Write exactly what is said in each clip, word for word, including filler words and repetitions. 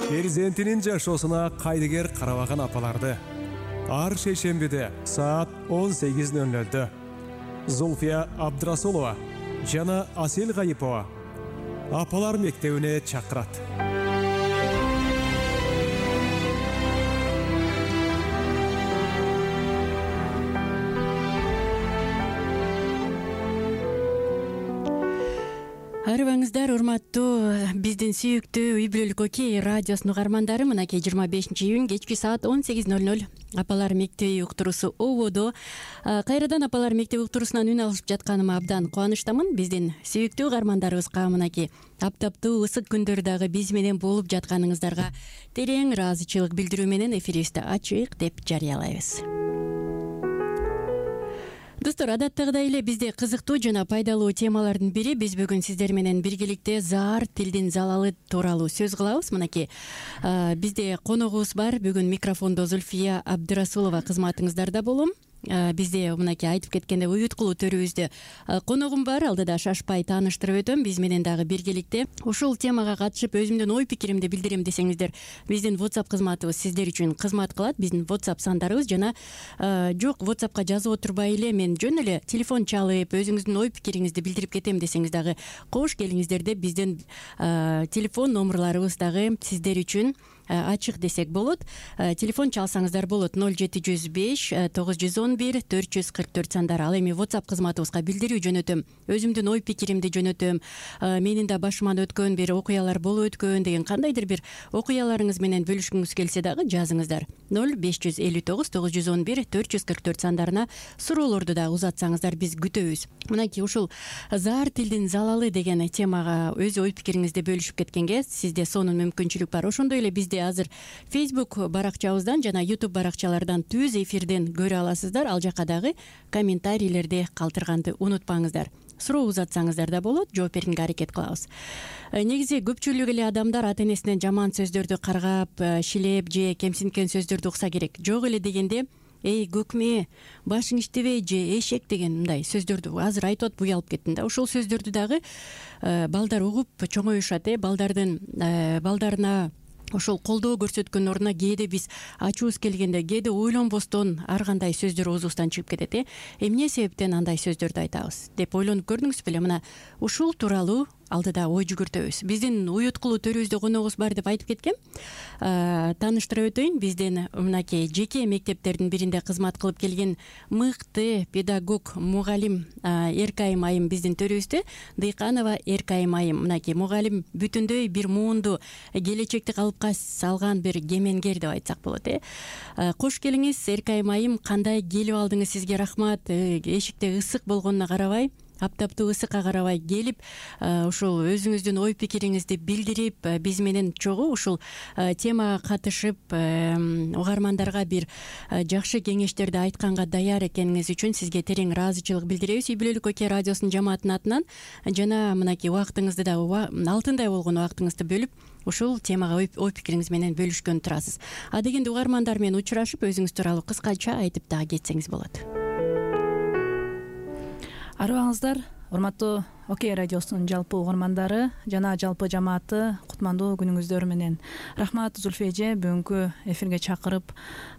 Перзентинин жашоосуна кайдыгер карабаган апаларды ар шейшембиде саат он сегиз ноль нолдо Зульфия Абдрасулова жана Асел Гайипова апалар мектебине чакырат. Арыбаңыздар, урматтуу биздин сүйүктүү үй бүлөлүк окей радиосунун угармандары, мынакей жыйырма бешинчи июнь кечки саат он сегиз ноль ноль апалар мектеби уктуруусу ободо. Кайрадан апалар мектеби уктуруусунан үн алышып жатканыма абдан кубанычтамын. Биздин сүйүктүү угармандарыбызга мынакей аптаптуу ысык күндөр дагы биз менен болуп жатканыңыздарга терең ыраазычылык билдирүү менен эфирибизди ачык деп жарыялайбыз. Достор, адаттагыдай эле бизде кызыктуу жана пайдалуу темалардын бири биз бүгүн сиздер менен биргеликте заар тилдин залалы тууралуу сөз кылабыз. Мынакей бизде коногубуз бар. Бүгүн микрофондо Зульфия Абдрасулова кызматыңыздарда болом. Бизде мынакей айтып кеткенде уюткулуу төрүбүздө коногум бар. Алдыда шашпай тааныштырып өтөм. Биз менен дагы биргеликте ушул темага катышып өзүмдүн ой пикиримди билдирем десеңиздер, биздин WhatsApp кызматыбыз сиздер үчүн кызмат кылат. Биздин WhatsApp сандарыбыз жана жок WhatsAppка жазып отурбай эле мен жөн эле телефон чалып өзүңүздүн ой пикириңизди билдирип кетем десеңиз дагы кош келиңиздер деп биздин телефон номерларыбыз дагы сиздер үчүн ачык десек болот. Телефон чалсаңыздар болот ноль жети жүз беш тогуз жүз он бир төрт жүз кырк төрт сандары. Ал эми WhatsApp кызматыбызга билдирүү жөнөтөм. Өзүмдүн ой пикиримди жөнөтөм. Менин да башыман өткөн бир окуялар болуп өткөн деген кандайдыр бир окуяларыңыз менен бөлүшкүңүз келсе дагы жазыңыздар. ноль беш жүз элүү тогуз тогуз жүз он бир төрт жүз кырк төрт сандарына суроолорду да узатсаңыздар биз күтөбүз. Мынакей ушул заар тилдин залалы деген темага өз ой пикириңизди бөлүшүп кеткенге сизде сонун мүмкүнчүлүк бар. Ошондой эле бизде азыр Facebook баракчабыздан жана YouTube баракчалардан түз эфирден көрө аласыздар. Ал жака дагы комментарийлерди калтырганды унутпаңыздар. Суроо узатсаңыздар да болот, жооп берүүгө аракет кылабыз. Негизи көпчүлүк эле адамдар ата энесинен жаман сөздөрдү каргап, шилеп же кемсинткен сөздөрдү укса керек. Жок эле дегенде эй көкме, башың иштебей же эшек деген мындай сөздөрдү азыр айтып атып уялып кеттим да. Ошол сөздөрдү дагы балдар угуп чоңоюшат, э балдардын балдарына ошол колдоо көрсөткөн ордуна кээде биз ачуубуз келгенде, кээде ойлонбостон ар кандай сөздөр оозубуздан чыгып кетет. э Эмне себептен андай сөздөрдү айтабыз деп ойлонуп көрдүңүз беле? Мына ушул тууралуу алдыда ой жүгүртөбүз. Биздин уюткулуу төрүбүздө коногубуз бар деп айтып кеткем. Тааныштырып өтөйүн. Биздин мынакей жеке мектептердин биринде кызмат кылып келген мыкты педагог мугалим Эркайым айым биздин төрүбүздө. Дыйканова Эркайым айым мынакей мугалим бүтүндөй бир муунду келечекти калыпка салган бир кемеңгер деп айтсак болот. э Кош келиңиз Эркайым айым, кандай келип алдыңыз, сизге рахмат. Эшикте ысык болгонуна карабай, аптаптуу ысыкка карабай келип, ушул өзүңүздүн ой пикириңизди билдирип, биз менен чогуу ушул темага катышып, угармандарга бир жакшы кеңештерди айтканга даяр экениңиз үчүн сизге терең ыраазычылык билдиребиз. Үй бүлөлүк окей радиосунун жамаатынын атынан жана мынакей убактыңызды да алтындай болгон убактыңызды бөлүп ушул темага ой пикириңиз менен бөлүшкөн турасыз. А дегенде угармандар менен учурашып, өзүңүз тууралуу кыскача айтып дагы кетсеңиз болот. Арыбаңыздар, урматтуу окей радиосунун жалпы угармандары жана жалпы жамааты, кутмандуу күнүңүздөр менен. Рахмат Зульфия эже, бүгүнкү эфирге чакырып,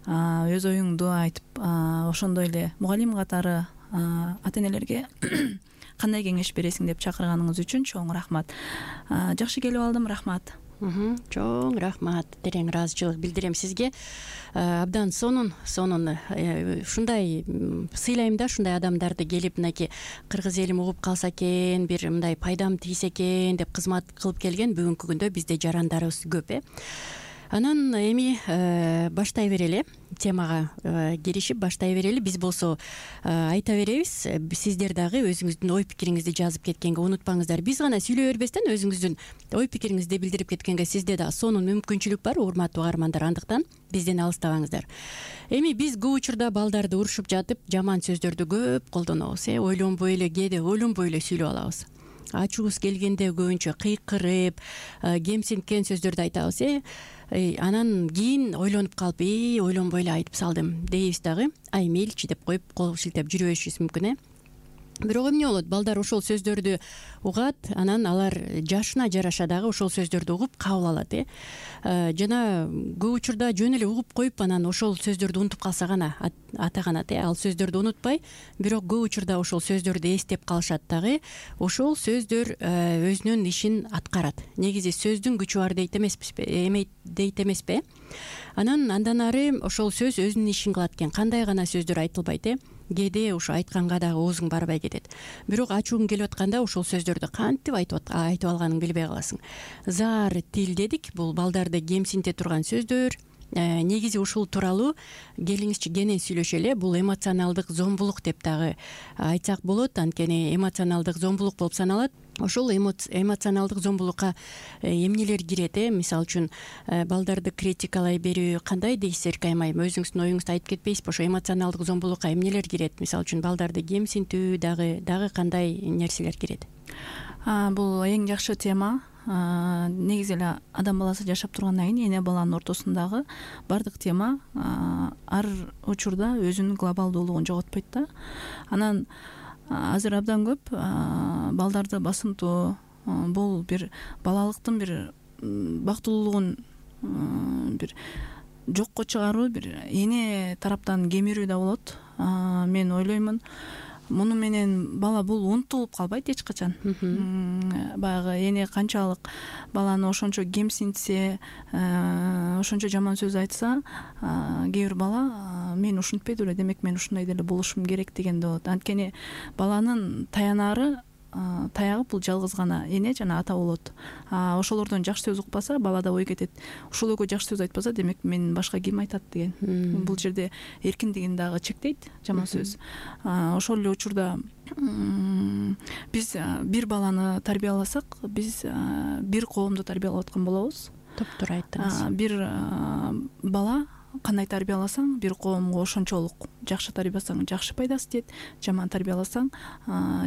өз оюңду айтып, ошондой эле мугалим катары ата энелерге кандай кеңеш бересиң деп чакырганыңыз үчүн чоң рахмат. Жакшы келип алдым, рахмат. Чоң рахмат, терең ыраазычылык билдирем сизге. Абдан сонун сонун ушундай сыйлайм да, ушундай адамдарды келип мынакей кыргыз элим угуп калса экен, бир мындай пайдам тийсе экен деп кызмат кылып келген бүгүнкү күндө бизде жарандарыбыз көп. э Анан эми баштай берели, темага киришип баштай берели. Биз болсо айта беребиз, сиздер дагы өзүңүздүн ой пикириңизди жазып кеткенге унутпаңыздар. Биз гана сүйлөй бербестен өзүңүздүн ой пикириңизди билдирип кеткенге сизде да сонун мүмкүнчүлүк бар, урматтуу угармандар. Андыктан бизден алыстабаңыздар. Эми биз көп учурда балдарды урушуп жатып жаман сөздөрдү көп колдонобуз. э Ойлонбой эле, кээде ойлонбой эле сүйлөп алабыз. Ачуубуз келгенде көбүнчө кыйкырып, кемсинткен сөздөрдү айтабыз. э Анан кийин ойлонуп калып, э ойлонбой эле айтып салдым дейбиз дагы. Ай мейличи деп коюп кол шилтеп жүрүбөшүбүз мүмкүн. э Бирок эмне болот, балдар ошол сөздөрдү угат, анан алар жашына жараша дагы ошол сөздөрдү угуп кабыл алат э жана көп учурда жөн эле угуп коюп анан ошол сөздөрдү унутуп калса гана атаганат э ал сөздөрдү унутпай, бирок көп учурда ошол сөздөрдү эстеп калышат дагы. Ошол сөздөр өзүнүн ишин аткарат. Негизи сөздүн күчү бар дейт эмеспизби, эме дейт эмеспи? Анан андан ары ошол сөз өзүнүн ишин кылат экен. Кандай гана сөздөр айтылбайт э кээде ушу айтканга дагы оозуң барбай кетет. Бирок ачууң келип атканда ошол сөздөрдү кантип айтып айтып алганыңды билбей каласың. Заар тил дедик, бул балдарды кемсинте турган сөздөр. Негизи ушул тууралуу келиңизчи кенен сүйлөшөлү. Бул эмоционалдык зомбулук деп дагы айтсак болот. Анткени эмоционалдык зомбулук болуп саналат. Ошол эмоционалдык зомбулукка эмнелер кирет э мисалы үчүн балдарды критикалай берүү, кандай дейсиздер Каймайым, өзүңүздүн оюңузду айтып кетпейсизби? Ошо эмоционалдык зомбулукка эмнелер кирет? Мисалы үчүн балдарды кемсинтүү дагы дагы кандай нерселер кирет? Бул эң жакшы тема. Негизи эле адам баласы жашап тургандан кийин эне баланын ортосундагы баардык тема ар учурда өзүнүн глобалдуулугун жоготпойт да. Анан азыр абдан көп балдарды басынтуу, бул бир балалыктын бир бактылуулугун бир жокко чыгаруу, бир эне тараптан кемирүү да болот. Мен ойлоймун, муну менен бала бул унутулуп калбайт эч качан. Баягы эне канчалык баланы ошончо кемсинтсе, ошончо жаман сөз айтса, кээ бир бала мен ушинтпей эле, демек мен ушундай деле болушум керек дегенде болот. Анткени баланын таянары, таягы бул жалгыз гана эне жана ата болот. Ошолордон жакшы сөз укпаса, балада ой кетет. Ушул экөө жакшы сөз айтпаса, демек мен башка ким айтат деген. Бул жерде эркиндигин дагы чектейт жаман сөз. Ошол эле учурда биз бир баланы тарбияласак, биз бир коомду тарбиялап аткан болобуз. Топтура айттыңыз. Бир бала кандай тарбияласаң, бир коомго ошончолук жакшы тарбияласаң жакшы пайдасы тиет, жаман тарбияласаң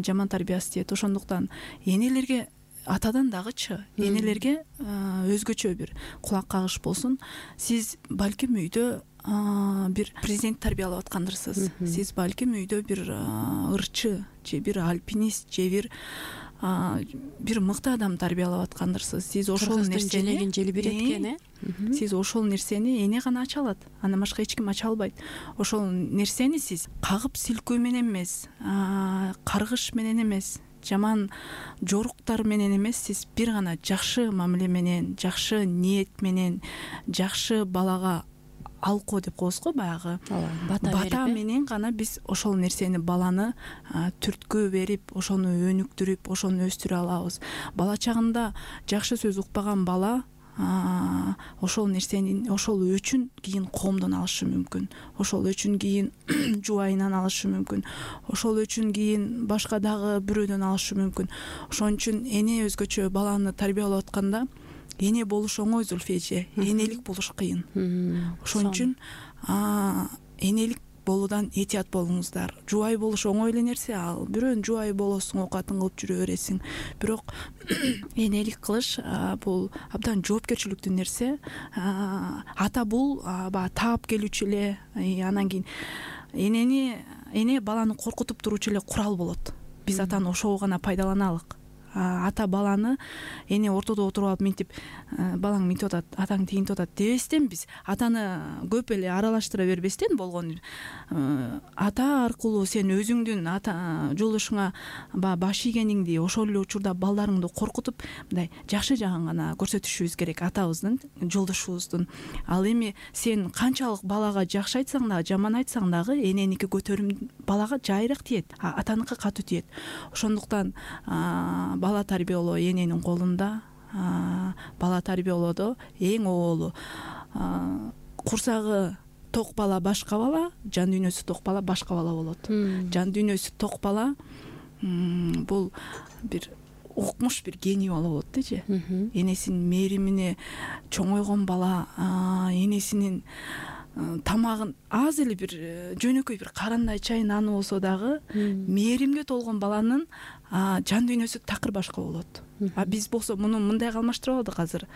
жаман тарбиясы тиет. Ошондуктан энелерге атадан дагычы энелерге өзгөчө бир кулак кагыш болсун. Сиз балким үйдө бир президент тарбиялап аткандырсыз. Сиз балким үйдө бир ырчы же бир альпинист же бир бир мыкты адам тарбиялап аткандырсыз. Сиз ошол нерсени желегин жели берет экен э. Сиз ошол нерсени эне гана ача алат. Андан башка эч ким ача албайт. Ошол нерсени сиз кагып силкөө менен эмес, каргыш менен эмес, жаман жоруктар менен эмес, сиз бир гана жакшы мамиле менен, жакшы ниет менен, жакшы балага алко деп коебуз го, баягы бата менен гана биз ошол нерсени баланы түрткү берип, ошону өнүктүрүп, ошону өстүрө алабыз. Бала чагында жакшы сөз укпаган бала ошол нерсени, ошол өчүн кийин коомдон алышы мүмкүн. Ошол өчүн кийин жубайынан алышы мүмкүн. Ошол өчүн кийин башка дагы бирөөдөн алышы мүмкүн. Ошон үчүн эне өзгөчө баланы тарбиялап атканда эне болуш оңой, Зульфия эже, энелик болуш кыйын. Ошон үчүн энелик болуудан этият болуңуздар. Жубай болуш оңой эле нерсе, ал бирөөнүн жубайы болосуң, оокатын кылып жүрө бересиң. Бирок энелик кылыш бул абдан жоопкерчиликтүү нерсе. Ата бул баягы таап келүүчү эле, анан кийин энени эне баланы коркутуп туруучу эле курал болот. Биз атаны ошого гана пайдаланалык. Ата баланы эне ортодо отуруп алып минтип, балаң минтип атат, атаң тигинтип атат дебестен, биз атаны көп эле аралаштыра бербестен болгон ата аркылуу сен өзүңдүн ата жолдошуңа баягы баш ийгениңди, ошол эле учурда балдарыңды коркутуп, мындай жакшы жагын гана көрсөтүшүбүз керек атабыздын, жолдошубуздун. Ал эми сен канчалык балага жакшы айтсаң дагы, жаман айтсаң дагы эненики көтөрүм балага жайыраак тиет, атаныкы катуу тиет. Ошондуктан бала тарбиялоо эненин колунда. Бала тарбиялоодо эң оболу курсагы ток бала башка бала, жан дүйнөсү ток бала башка бала болот. Жан дүйнөсү ток бала бул бир укмуш, бир гений бала болот дечи. Энесинин мээримине чоңойгон бала, энесинин тамагын аз эле бир жөнөкөй бир карандай чай наны болсо дагы мээримге толгон баланын жан дүйнөсү такыр башка болот. А биз болсо муну мындай алмаштырып алдык азыр.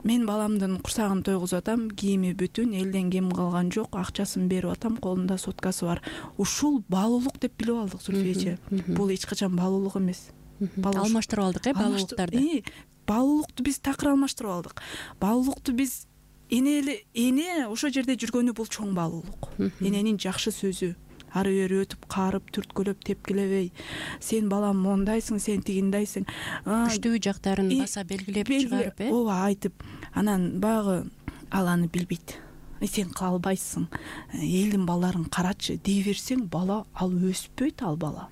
мен баламдын курсагын тойгузуп атам, кийими бүтүн, элден кем калган жок, акчасын берип атам, колунда соткасы бар. Ушул баалуулук деп билип алдык Зульфия эже. Бул эч качан баалуулук эмес. Алмаштырып алдык э баалуулуктарды. Баалуулукту биз такыр алмаштырып алдык. Баалуулукту биз эне эне ошол жерде жүргөнү бул чоң баалуулук. Эненин жакшы сөзү, ары бери өтүп карып, түрткүлөп, тепкилебей, сен балам мондайсың, сен тигиндайсың, күчтүү жактарын баса белгилеп чыгарып, э ооба айтып, анан баягы ал аны билбейт. Сен кыла албайсың, элдин балдарын карачы дей берсең, бала ал өспөйт, ал бала.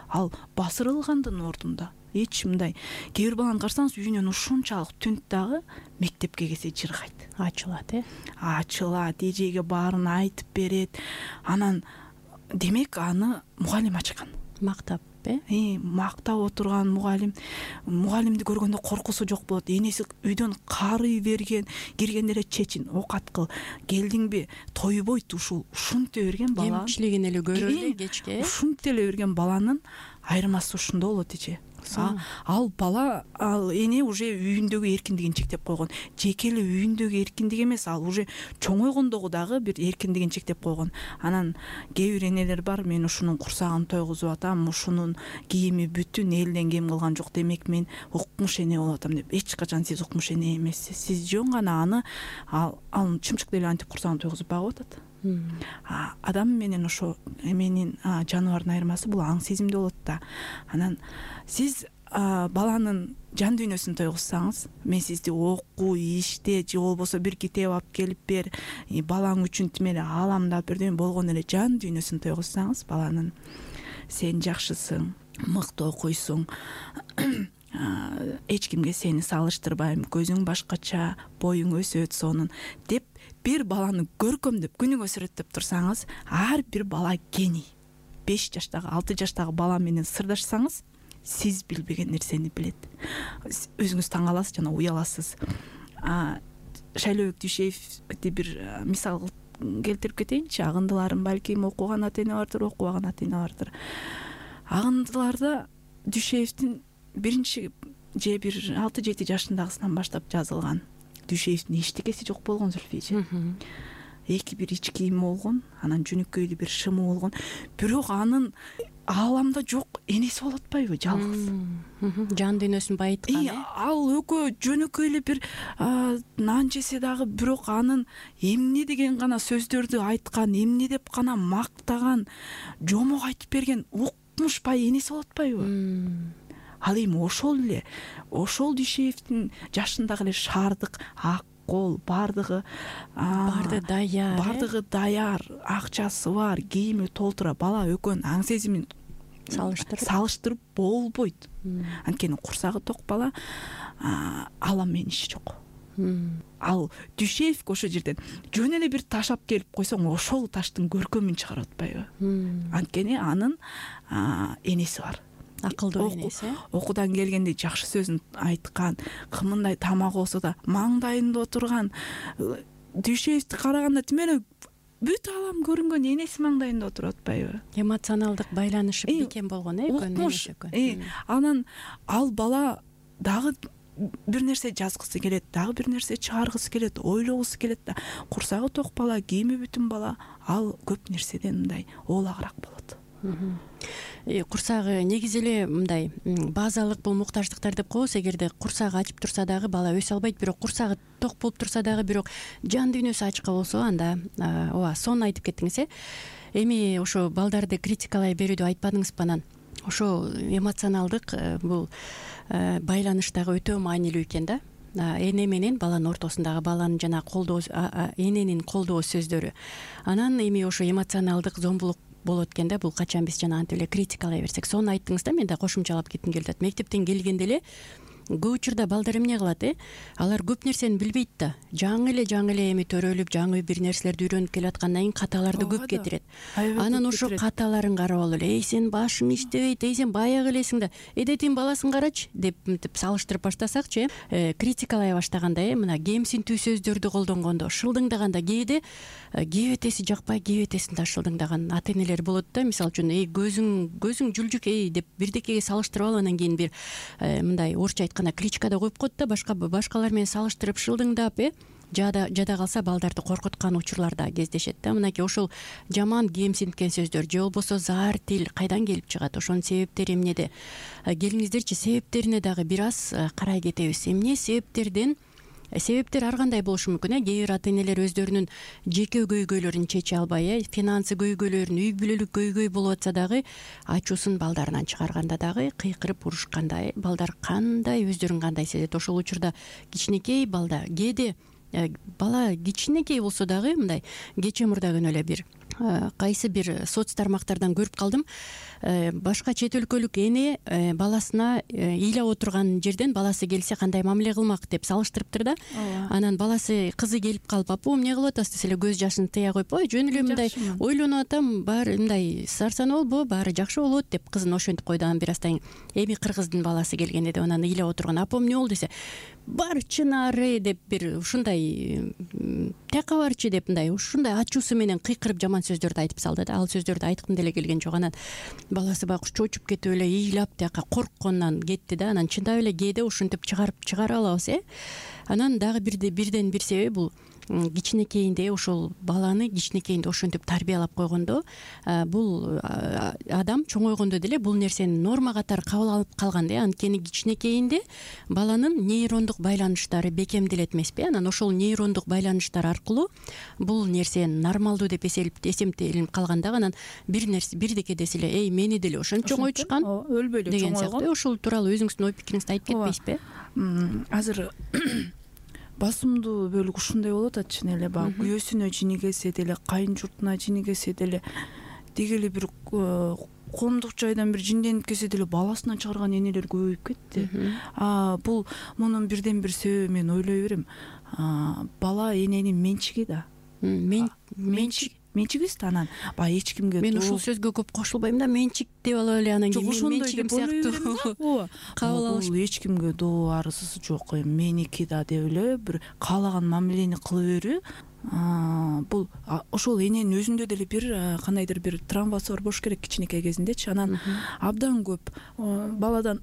Ал басырылгандын ордунда эч мындай. Кээ бир баланы карасаңыз, үйүнөн ушунчалык түнт дагы мектепке келсе жыргайт. Ачылат, э? Ачылат, эжеге баарын айтып берет. Анан демек аны мугалим ачкан. Мактап, э? Э, мактап отурган мугалим. Мугалимди көргөндө коркусу жок болот. Энеси үйдөн карый берген, киргенде эле чечин, окат кыл. Келдиңби, тойбойт ушул. Ушунтип берген бала. Кемчилигин эле көрөлү кечке. Ушунтип эле берген баланын айырмасы ушунда болот эже. Ал бала, ал эне уже үйүндөгү эркиндигин чектеп койгон. Жеке эле үйүндөгү эркиндик эмес, ал уже чоңойгондогу дагы бир эркиндигин чектеп койгон. Анан кээ бир энелер бар, мен ушунун курсагын тойгузуп атам, ушунун кийими бүтүн, элден кем калган жок, демек мен укмуш эне болуп атам деп. Эч качан сиз укмуш эне эмессиз. Сиз жөн гана аны ал ал чымчык деле антип курсагын тойгузуп багып атат. Адам менен ошо эменин жаныбардын айырмасы бул аң сезимде болот да. Анан сиз баланын жан дүйнөсүн тойгузсаңыз, мен сизди оку, иште же болбосо бир китеп алып келип бер, балаң үчүн тимеле ааламдап бир болгон эле жан дүйнөсүн тойгузсаңыз, баланын сен жакшысың, мыкты окуйсуң, эч кимге сени салыштырбайм, көзүң башкача, боюң өсөт сонун деп бир баланы көркөмдөп, күнүгө сүрөттөп турсаңыз, ар бир бала гений. беш жаштагы, алты жаштагы бала менен сырдашсаңыз, сиз билбеген нерсени билет. Өзүңүз таң каласыз жана уяласыз. Шайлообек Дүйшеевди бир мисал келтирип кетейинчи. Агындыларым балким окуган ата эне бардыр, окубаган ата эне бардыр. Агындыларда Дүйшеевдин биринчи же бир алты жети жашындагысынан баштап жазылган. Дүйшеевдин эчтекеси жок болгон Зульфия. Эки бир ич кийими болгон, анан жөнөкөйлүү бир шымы болгон. Бирок анын ааламда жок энеси болуп атпайбы, жалгыз. Жан дүйнөсүн байыткан, э? Ал экөө жөнөкөйлүү бир нан жесе дагы, бирок анын эмне деген гана сөздөрдү айткан, эмне деп гана мактаган, жомок айтып берген укмуш бай энеси болуп атпайбы? Ал эми ошол эле, ошол Дүйшеевдин жашындагы эле шаардык, ак кол, бардыгы барды даяр, бардыгы даяр, акчасы бар, кийими толтура. Бала экөөнүн аң сезимин салыштырып салыштырып болбойт. Анткени курсагы ток бала, алам менин иши жок. Ал Дүйшеевге ошол жерден жөн эле бир таш алып келип койсоң, ошол таштын көркөмүн чыгарып атпайбы? Анткени анын энеси бар. Акылдуу энеси. Окуудан келгенде жакшы сөзүн айткан, кымындай тамак болсо да маңдайында отурган. Дүйшеевди караганда тимеле бүт алам көрүнгөн энеси маңдайында отуруп атпайбы? Эмоционалдык байланышы бекем болгон, э, экөөнүн. Анан ал бала дагы бир нерсе жазгысы келет, дагы бир нерсе чыгаргысы келет, ойлогусу келет да. Курсагы ток бала, кийими бүтүн бала, ал көп нерседен мындай ooлагыраак болот. Курсагы негизи эле мындай базалык бул муктаждыктар деп коебуз. Эгерде курсагы ачып турса дагы бала өсө албайт, бирок курсагы ток болуп турса дагы, бирок жан дүйнөсү ачка болсо, анда ооба, сонун айтып кеттиңиз, э. Эми ошо балдарды критикалай берүүдү айтпадыңызбы анан? Ошо эмоционалдык бул байланыштагы өтө маанилүү экен да. Эне менен баланын ортосундагы баланын жана колдоо, эненин колдоо сөздөрү. Анан эми ошо эмоционалдык зомбулук болот экен да. Бул качан биз жана антип эле критикалай берсек. Сону айттыңыз да, мен да кошумчалап кетким келип атат. Мектептен келгенде эле көп учурда балдар эмне кылат, э? Алар көп нерсени билбейт да. Жаңы эле жаңы эле эми төрөлүп, жаңы бир нерселерди үйрөнүп келе аткандан кийин каталарды көп кетирет. Анан ошо каталарын карап алып эле, эй сен башың иштебейт, эй сен баягы элесиң да, эдетин баласын карачы деп мынтип салыштырып баштасакчы, э, критикалай баштаганда, э, мына кемсинтүү сөздөрдү колдонгондо, шылдыңдаганда кээде кебетеси жакпай, кебетесин да шылдыңдаган ата энелер болот да. Мисалы үчүн, эй көзүң көзүң жүлжүк, эй деп бирдекеге салыштырып алып, анан кийин бир мындай орусча атканда кличкада коюп коет да, башка башкалар менен салыштырып шылдыңдап э жада жада калса балдарды коркуткан учурлар да кездешет да. Мынакей ошол жаман кемсинткен сөздөр же болбосо заар тил кайдан келип чыгат, ошонун себептери эмнеде? Келиңиздерчи себептерине дагы бир аз карай кетебиз. Эмне себептерден себептер ар кандай болушу мүмкүн э кээ бир ата энелер өздөрүнүн жеке көйгөйлөрүн чече албай, э финансы көйгөйлөрүн, үй бүлөлүк көйгөй болуп атса дагы ачуусун балдарынан чыгарганда дагы кыйкырып урушканда, э балдар кандай өздөрүн кандай сезет. Ошол учурда кичинекей балда кээде бала кичинекей болсо дагы мындай кечээ мурда күнү эле бир кайсы бир соц тармактардан көрүп калдым. Башка чет өлкөлүк эне баласына ыйлап отурган жерден баласы келсе кандай мамиле кылмак деп салыштырыптыр да. Анан баласы кызы келип калып, апа эмне кылып атасыз десе эле көз жашын тыя коюп, ой жөн эле мындай ойлонуп атам, баары мындай сарсанаа болбо, баары жакшы болот деп кызын ошентип койду. Анан бир аздан кийин эми кыргыздын баласы келгенде деп анан ыйлап отурган, апа эмне болду десе, бар чынары деп бир ушундай тияка барчы деп мындай ушундай ачуусу менен кыйкырып жаман сөздөрдү айтып салды да. Ал сөздөрдү айткым деле келген жок. Анан баласы байкуш чочуп кетип эле ыйлап тияка коркконунан кетти да. Анан чындап эле кээде ушинтип чыгарып чыгара алабыз, э анан дагы бирде бирден бир себеби бул кичинекейинде ошол баланы кичинекейинде ошентип тарбиялап койгондо бул адам чоңойгондо деле бул нерсени норма катары кабыл алып калган да. Анткени кичинекейинде баланын нейрондук байланыштары бекемделет эмеспи. Анан ошол нейрондук байланыштар аркылуу бул нерсе нормалдуу деп эсептелип калган да. Анан бир нерсе бирдеке десе эле, эй мени деле ошентип чоңойтушкан өлбөй эле деген сыяктуу. Ошол тууралуу өзүңүздүн ой пикириңизди айтып кетпейсизби? Азыр басымдуу бөлүк ушундай болуп атат чын эле. Баягы күйөөсүнө жинигесе деле, кайын журтуна жинигесе деле, деги эле бир коомдук жайдан бир жинденип келсе деле баласынан чыгарган энелер көбөйүп кетти. Бул мунун бирден бир себеби мен ойлой берем. Бала эненин менчиги да. Менчик менчигибиз да. Анан баягы эч кимге мен ушул сөзгө көп кошулбайм да. Менчик деп алып эле анан кийин менчигим сыяктуу кабыл алыш. Бул эч кимге доо арызы жок, меники да деп эле бир каалаган мамилени кыла берүү. Бул ошол эненин өзүндө деле бир кандайдыр бир травмасы бар болуш керек кичинекей кезиндечи. Анан абдан көп баладан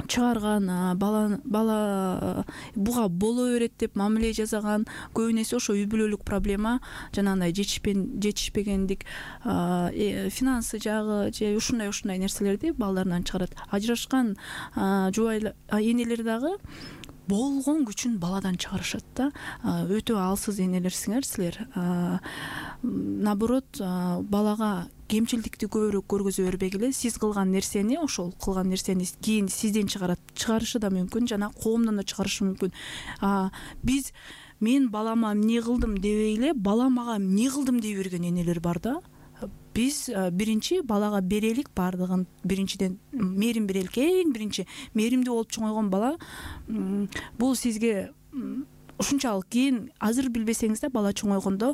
чыгарган, бала бала буга боло берет деп мамиле жасаган көбүн эсе ошо үй бүлөлүк проблема, жанагындай жетишпегендик, финансы жагы же ушундай ушундай нерселерди балдарынан чыгарат. Ажырашкан жубайлар, энелер дагы болгон күчүн баладан чыгарышат да. Өтө алсыз энелерсиңер силер. Наоборот, балага кемчилдикти көбүрөөк көргөзө бербегиле. Сиз кылган нерсени, ошол кылган нерсени кийин сизден чыгарат, чыгарышы да мүмкүн, жана коомдон да чыгарышы мүмкүн. Биз мен балама эмне кылдым дебей эле, бала мага эмне кылдым дей берген энелер бар да. Биз биринчи балага берелик баардыгын, биринчиден мээрим берелик, эң биринчи мээримдүү болуп чоңойгон бала бул сизге ушунчалык кийин азыр билбесеңиз да бала чоңойгондо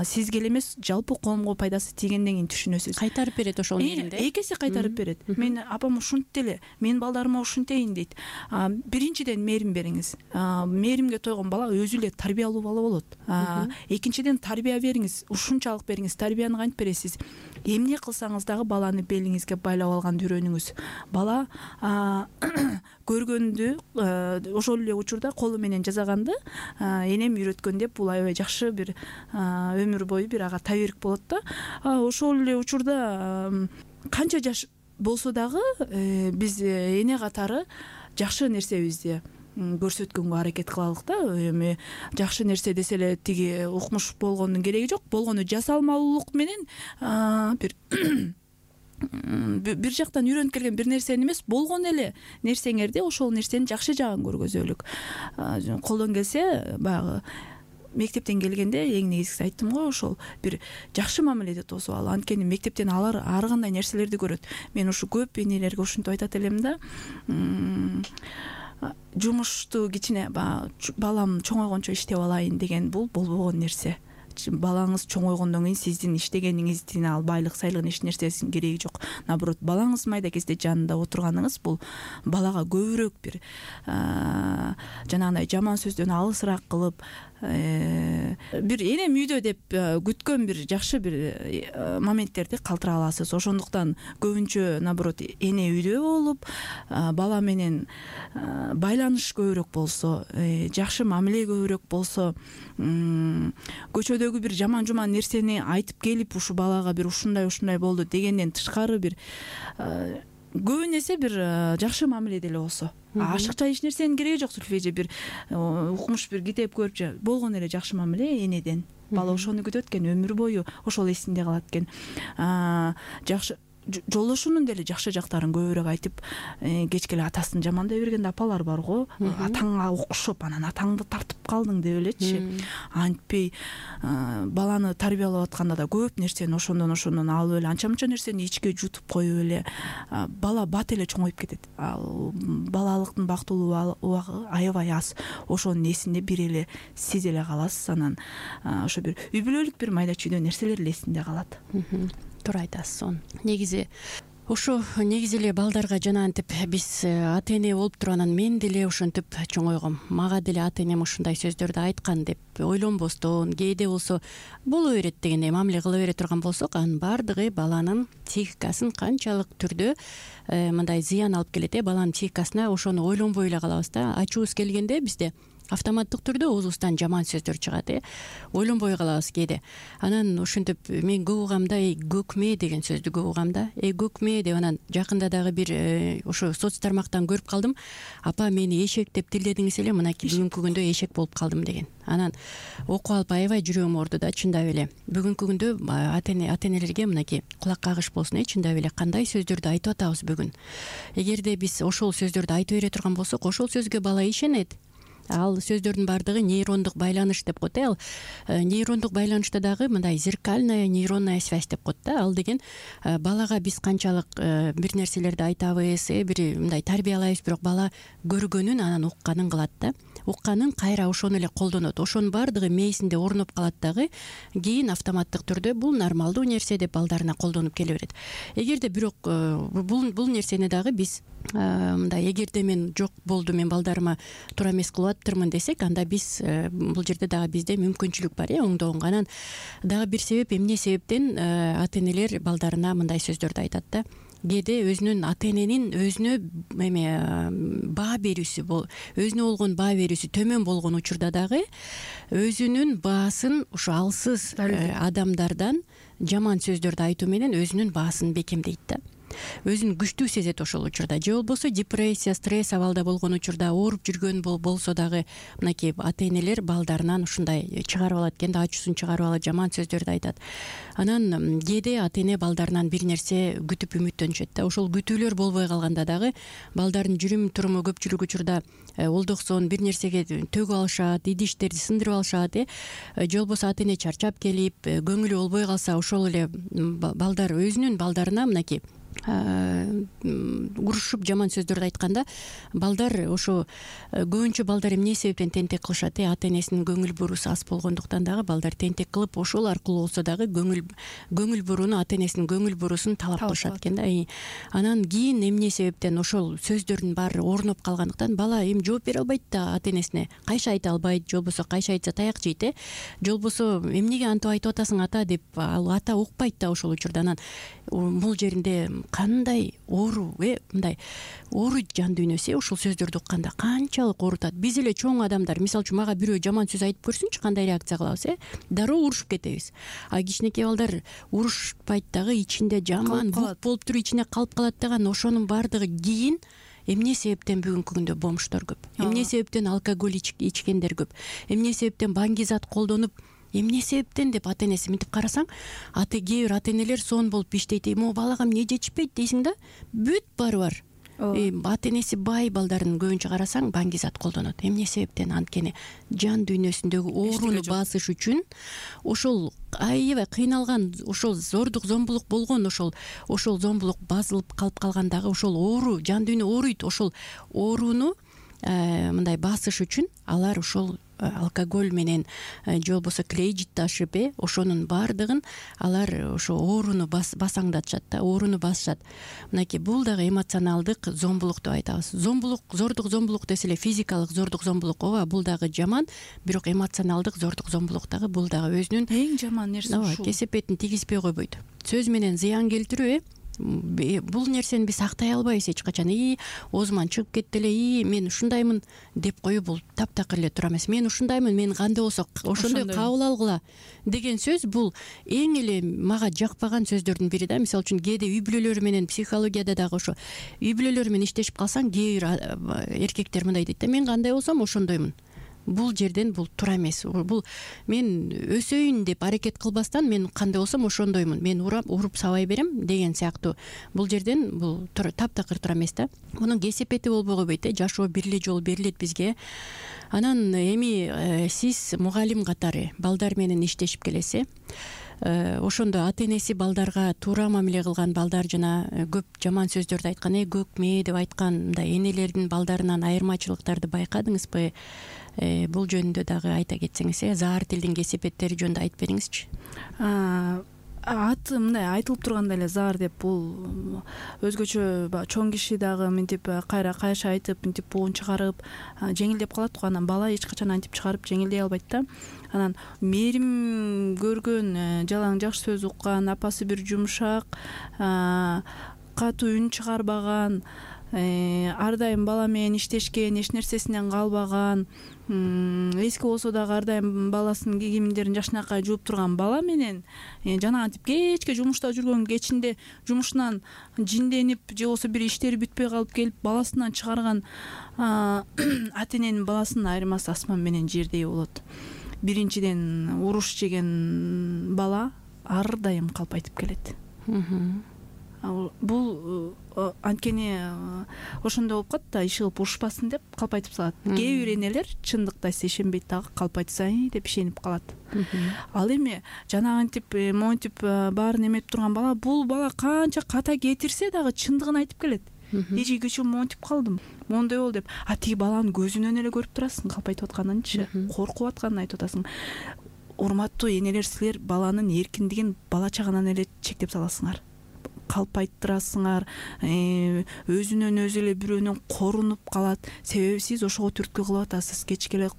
сизге эле эмес жалпы коомго пайдасы тийгенден кийин түшүнөсүз. Кайтарып берет ошол мээримди. Эки эсе кайтарып берет. Мен апам ушинтти эле, мен балдарыма ушинтейин дейт. Биринчиден мээрим бериңиз. Мээримге тойгон бала өзү эле тарбиялуу бала болот. Экинчиден тарбия бериңиз, ушунчалык бериңиз. Тарбияны кантип бересиз? Эмне кылсаңыз дагы баланы белиңизге байлап алганды үйрөнүңүз. Бала көргөндү ошол эле учурда колу менен жасаганды энем үйрөткөн деп бул аябай жакшы бир өмүр бою бир ага таберик болот да. Ошол эле учурда канча жаш болсо дагы биз эне катары жакшы нерсебизди көрсөткөнгө аракет кылалык да. Эми жакшы нерсе десе эле тиги укмуш болгондун кереги жок. Болгону жасалмалуулук менен бир бир жактан үйрөнүп келген бир нерсени эмес, болгон эле нерсеңерди ошол нерсенин жакшы жагын көргөзөлүк. Колдон келсе баягы мектептен келгенде эң негизгиси айттым го, ошол бир жакшы мамиледе тосуп ал. Анткени мектептен алар ар кандай нерселерди көрөт. Мен ушу көп энелерге ушинтип айтат элем да. Жумушту кичине балам чоңойгончо иштеп алайын деген бул болбогон нерсе. балаңыз чоңойгондон кийин сиздин иштегениңиздин ал байлык сайлыгын эч нерсесинин кереги жок. Наоборот, балаңыз майда кезде жанында отурганыңыз бул балага көбүрөөк бир жанагындай жаман сөздөн алысыраак кылып, бир энем үйдө деп күткөн бир жакшы бир моменттерди калтыра аласыз. Ошондуктан көбүнчө наоборот эне үйдө болуп, бала менен байланыш көбүрөөк болсо, жакшы мамиле көбүрөөк болсо, көчөдөгү бир жаман жуман нерсени айтып келип ушу балага бир ушундай ушундай болду дегенден тышкары бир көбүн эсе бир жакшы мамиле деле болсо, ашыкча эч нерсенин кереги жок. Сүлфеже бир укмуш бир китеп көрүп болгон эле жакшы мамиле энеден. Бала ошону күтөт экен, өмүр бою ошол эсинде калат экен. Жакшы жолдошунун деле жакшы жактарын көбүрөөк айтып, кечке эле атасын жамандай берген апалар бар го. Атаңа окшоп, анан атаңды тартып калдың деп элечи. Антпей баланы тарбиялап атканда да көп нерсени ошондон ошондон алып эле анча мынча нерсени ичке жутуп коюп эле бала бат эле чоңоюп кетет. Ал балалыктын бактылуу убагы аябай аз. Ошонун эсинде бир эле сиз эле каласыз. Анан ошо бир үй бүлөлүк бир майда чүйдө нерселер эле эсинде калат. Туура айтасыз. Сон негизи ошо негизи эле балдарга жанагынтип биз ата эне болуп туруп анан мен деле ошентип чоңойгом, мага деле ата энем ушундай сөздөрдү айткан деп ойлонбостон, кээде болсо боло берет дегендей мамиле кыла бере турган болсок, анын баардыгы баланын психикасын канчалык түрдө мындай зыян алып келет. Баланын психикасына ошону ойлонбой эле калабыз да. Ачуубуз келгенде бизде автоматтык түрдө оозубуздан жаман сөздөр чыгат, э ойлонбой калабыз кээде. Анан ошентип мен көп угам да, көкме деген сөздү көп угам да. Эй көкме деп, анан жакында дагы бир ошо соц тармактан көрүп калдым. Апа мени эшек деп тилдедиңиз эле, мынакей бүгүнкү күндө эшек болуп калдым деген. Анан окуп алып аябай жүрөгүм ооруду да, чындап эле. Бүгүнкү күндө ата эне ата энелерге мынакей кулак кагыш болсун, э чындап эле кандай сөздөрдү айтып атабыз бүгүн. Эгерде биз ошол сөздөрдү айтып бере турган болсок, ошол сөзгө бала ишенет. Ал сөздөрдүн баардыгы нейрондук байланыш деп коет. Ал нейрондук байланышта дагы мындай зеркальная нейронная связь деп коет да. Ал деген балага биз канчалык бир нерселерди айтабыз, бир мындай тарбиялайбыз, бирок бала көргөнүн анан укканын кылат да. Укканын кайра ошону эле колдонот. Ошонун баардыгы мээсинде орноп калат дагы. Кийин автоматтык түрдө бул нормалдуу нерсе деп балдарына колдонуп келе берет. Эгерде бирок бул бул нерсени дагы биз мындай эгерде мен жок болду, мен балдарыма туура эмес кылып аттырмын десек, анда биз бул жерде дагы бизде мүмкүнчүлүк бар, э оңдоонго. Анан дагы бир себеп, эмне себептен ата энелер балдарына мындай сөздөрдү айтат да. Кээде өзүнүн ата эненин өзүнө эме баа берүүсү, өзүнө болгон баа берүүсү төмөн болгон учурда дагы өзүнүн баасын ушу алсыз адамдардан жаман сөздөрдү айтуу менен өзүнүн баасын бекемдейт да. Өзүн күчтүү сезет ошол учурда. Же болбосо депрессия, стресс абалда болгон учурда, ооруп жүргөн болсо дагы мынакей ата энелер балдарынан ушундай чыгарып алат экен да, ачуусун чыгарып алат, жаман сөздөрдү айтат. Анан кээде ата эне балдарынан бир нерсе күтүп үмүттөнүшөт да. Ошол күтүүлөр болбой калганда дагы балдардын жүрүм туруму көпчүлүк учурда олдоксон бир нерсеге төгүп алышат, идиштерди сындырып алышат, э же болбосо ата эне чарчап келип, көңүлү болбой калса, ошол эле балдар өзүнүн балдарына мынакей урушуп жаман сөздөрдү айтканда, балдар ошо көбүнчө балдар эмне себептен тентек кылышат, э ата энесинин көңүл буруусу аз болгондуктан дагы балдар тентек кылып, ошол аркылуу болсо дагы көңүл көңүл бурууну, ата энесинин көңүл буруусун талап кылышат экен да. Анан кийин эмне себептен ошол сөздөрдүн баары орноп калгандыктан бала эми жооп бере албайт да ата энесине, кайша айта албайт, же болбосо кайша айтса таяк жейт, э же болбосо эмнеге антип айтып атасың ата деп ал ата укпайт да ошол учурда. Анан бул жеринде кандай оору, э мындай оору жан дүйнөсү ошол сөздөрдү укканда канчалык оорутат. Биз эле чоң адамдар, мисалы үчүн мага бирөө жаман сөз айтып көрсүнчү, кандай реакция кылабыз, э дароо урушуп кетебиз. А кичинекей балдар урушпайт дагы, ичинде жаман бук болуп туруп ичине калып калат дагы. Ошонун баардыгы кийин эмне себептен бүгүнкү күндө бомждор көп, эмне себептен алкоголь ичкендер көп, эмне себептен баңгизат колдонуп, эмне себептен деп ата энеси мынтип карасаң, ата кээ бир ата энелер сон болуп иштейт. Эми балага эмне жетишпейт дейсиң да, бүт баары бар. Ата энеси бай балдарын көбүнчө карасаң баңгизат колдонот. Эмне себептен? Анткени жан дүйнөсүндөгү ооруну басыш үчүн, ошол аябай кыйналган, ошол зордук зомбулук болгон, ошол ошол зомбулук басылып калып калгандагы ошол оору, жан дүйнө ооруйт. Ошол ооруну мындай басыш үчүн алар ошол алкоголь менен же болбосо кредит ташып э ошонун баардыгын алар ошо ооруну басаңдатышат да, ооруну басышат. Мынакей бул дагы эмоционалдык зомбулук деп айтабыз. Зомбулук, зордук зомбулук десе эле физикалык зордук зомбулук, ооба, бул дагы жаман, бирок эмоционалдык зордук зомбулук дагы бул дагы өзүнүн эң жаман нерсе ушул. Кесепетин тийгизбей койбойт. Сөз менен зыян келтирүү э бул нерсени биз актай албайбыз эч качан. И оозуман чыгып кетти эле, и мен ушундаймын деп коюу бул таптакыр эле туура эмес. Мен ушундаймын, мен кандай болсо ошондой кабыл алгыла деген сөз бул эң эле мага жакпаган сөздөрдүн бири да. Мисалы үчүн кээде үй бүлөлөр менен, психологияда дагы ошо үй бүлөлөр менен иштешип калсаң, кээ бир эркектер мындай дейт да: мен кандай болсом ошондоймун. Бул жерден бул туура эмес. Бул мен өсөйүн деп аракет кылбастан, мен кандай болсом ошондоймун, мен урап уруп сабай берем деген сыяктуу. Бул жерден бул таптакыр туура эмес да. Мунун кесепети болбой койбойт э, жашоо бир эле жолу берилет бизге. Анан эми сиз мугалим катары балдар менен иштешип келесиз. Ошондо ата энеси балдарга туура мамиле кылган балдар жана көп жаман сөздөрдү айткан, э көкме деп айткан мындай энелердин балдарынан айырмачылыктарды байкадыңызбы? Бул жөнүндө дагы айта кетсеңиз, э заар тилдин кесепеттери жөнүндө айтып бериңизчи. Аты мындай айтылып тургандай эле заар деп, бул өзгөчө чоң киши дагы мынтип кайра кайша айтып, мынтип буун чыгарып жеңилдеп калат го. Анан бала эч качан антип чыгарып жеңилдей албайт да. Анан мээрим көргөн, жалаң жакшы сөз уккан, апасы бир жумшак, катуу үн чыгарбаган, ар дайым бала менен иштешкен, эч нерсесинен калбаган, эски болсо дагы ар дайым баласынын кийимдерин жакшынакай жууп турган бала менен жанагынтип кечке жумушта жүргөн, кечинде жумушунан жинденип же болбосо бир иштери бүтпөй калып келип баласынан чыгарган ата эненин баласынын айырмасы асман менен жердей болот. Биринчиден уруш жеген бала ар дайым калпайтып келет. Бул анткени ошондой болуп калат да, иши кылып урушпасын деп калпайтып салат. Кээ бир энелер чындыкта ишенбейт дагы, калпайтса деп ишенип калат. Ал эми жанагынтип монтип баарын эметип турган бала, бул бала канча ката кетирсе дагы чындыгын айтып келет. Эже кечээ монтип калдым, моундай болду деп. А тиги баланын көзүнөн эле көрүп турасың калпайтып атканынчы, коркуп атканын айтып атасың. Урматтуу энелер, силер баланын эркиндигин бала чагынан эле чектеп саласыңар. Калпайттырасыңар, өзүнөн өзү эле бирөөнөн корунуп калат. Себеби сиз ошого түрткү кылып атасыз. Кечке эле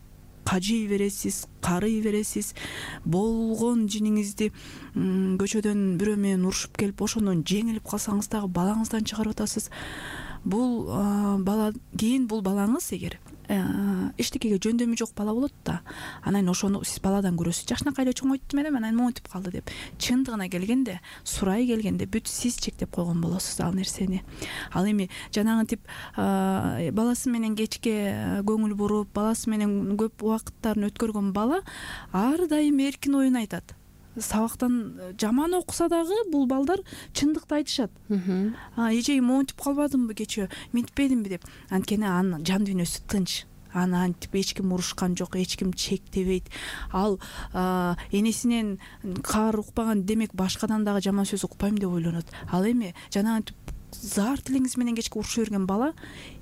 кажый бересиз, карый бересиз. Болгон жиниңизди көчөдөн бирөө менен урушуп келип, ошондон жеңилип калсаңыз дагы балаңыздан чыгарып атасыз. Бул бала кийин бул балаңыз эгер эчтекеге жөндөмү жок бала болот да, анан ошону сиз баладан көрөсүз. Жакшынакай эле чоңойтtum элем, анан монтип калды деп. Чындыгына келгенде, сурай келгенде бүт сиз чектеп койгон болосуз ал нерсени. Ал эми жанагынтип баласы менен кечке көңүл буруп, баласы менен көп убакыттарын өткөргөн бала ар дайым эркин оюн айтат. Сабактан жаман окуса дагы бул балдар чындыкты айтышат. Эже монтип калбадымбы кечээ, минтпедимби деп. Анткени анын жан дүйнөсү тынч. Аны антип эч ким урушкан жок, эч ким чектебейт. Ал энесинен каар укпаган, демек башкадан дагы жаман сөз укпайм деп ойлонот. Ал эми жанагынтип заар тилиңиз менен кечке урушуп жүргөн бала,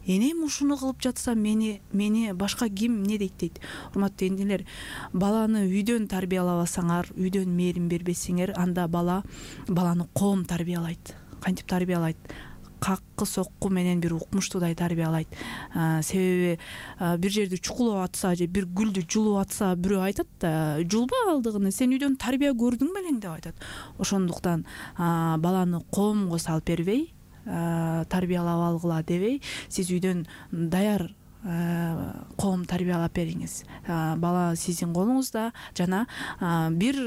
энем ушуну кылып жатса мени мени башка ким эмне дейт дейт. Урматтуу энелер, баланы үйдөн тарбиялабасаңар, үйдөн мээрим бербесеңер, анда бала баланы коом тарбиялайт. Кантип тарбиялайт? Каккы сокку менен бир укмуштуудай тарбиялайт. Себеби бир жерди чукулап атса же бир гүлдү жулуп атса, бирөө айтат да, жулба алдыгыны, сен үйдөн тарбия көрдүң белең деп айтат. Ошондуктан баланы коомго салып бербей, тарбиялап алгыла дебей, сиз үйдөн даяр коом тарбиялап бериңиз. Бала сиздин колуңузда, жана бир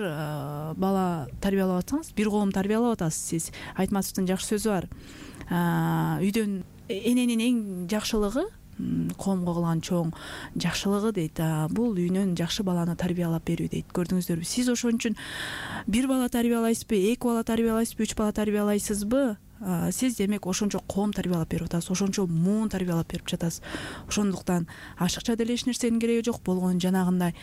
бала тарбиялап атсаңыз, бир коом тарбиялап атасыз сиз. Айтматовдун жакшы сөзү бар. Үйдөн эненин эң жакшылыгы, коомго кылган чоң жакшылыгы дейт, бул үйнөн жакшы баланы тарбиялап берүү дейт. Көрдүңүздөрбү? Сиз ошон үчүн бир бала тарбиялайсызбы, эки бала тарбиялайсызбы, үч бала тарбиялайсызбы? Сиз демек ошончо коом тарбиялап берип атасыз, ошончо муун тарбиялап берип жатасыз. Ошондуктан ашыкча деле эч нерсенин кереги жок. Болгон жанагындай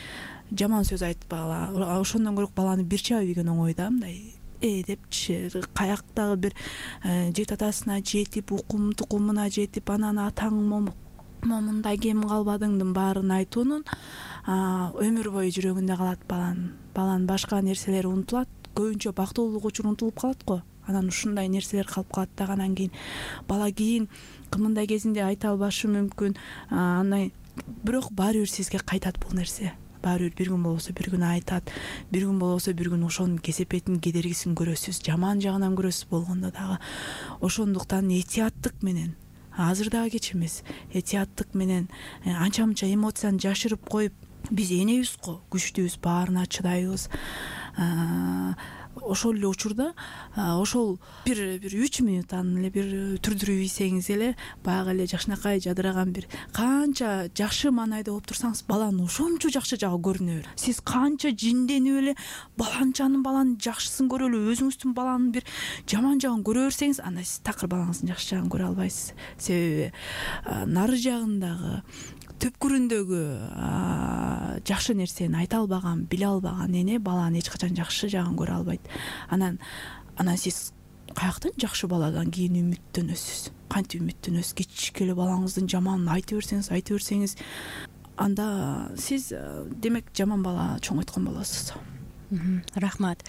жаман сөз айтып бала, ошондон көрөк баланы бир чаап ийген оңой да, мындай э депчи, каяктагы бир жети атасына жетип, укум тукумуна жетип, анан атаң момук могу мындай кем калбадыңдын баарын айтуунун өмүр бою жүрөгүндө калат баланын баланын башка нерселери унутулат, көбүнчө бактылуулук учур унутулуп калат го. Анан ушундай нерселер калып калат дагы. Анан кийин бала кийин кымындай кезинде айта албашы мүмкүн, андан бирок баары бир сизге кайтат бул нерсе. Баары бир бир күн болбосо бир күн айтат, бир күн болбосо бир күн ошонун кесепетин, кедергисин көрөсүз, жаман жагынан көрөсүз болгондо дагы. Ошондуктан этияттык менен, азыр дагы кеч эмес, этияттык менен анча мынча эмоцияны жашырып коюп, биз энебиз го, күчтүүбүз, баарына чыдайбыз. Ошол эле учурда ошол бир бир үч минуттан эле бир түрдүрүп ийсеңиз эле, баягы эле жакшынакай жадыраган бир канча жакшы маанайда болуп турсаңыз, баланын ошончо жакшы жагы көрүнө берет. Сиз канча жинденип эле баланчанын баланын жакшысын көрүп эле өзүңүздүн баланын бир жаман жагын көрө берсеңиз, анда сиз такыр балаңыздын жакшы жагын көрө албайсыз. Себеби нары жагындагы түпкүрүндөгү жакшы нерсени айта албаган, биле албаган эне баланын эч качан жакшы жагын көрө албайт. Анан анан сиз каяктан жакшы баладан кийин үмүттөнөсүз? Кантип үмүттөнөсүз? Кичикеле балаңыздын жаманын айта берсеңиз, айта берсеңиз, анда сиз демек жаман бала чоңойткон болосуз. Рахмат.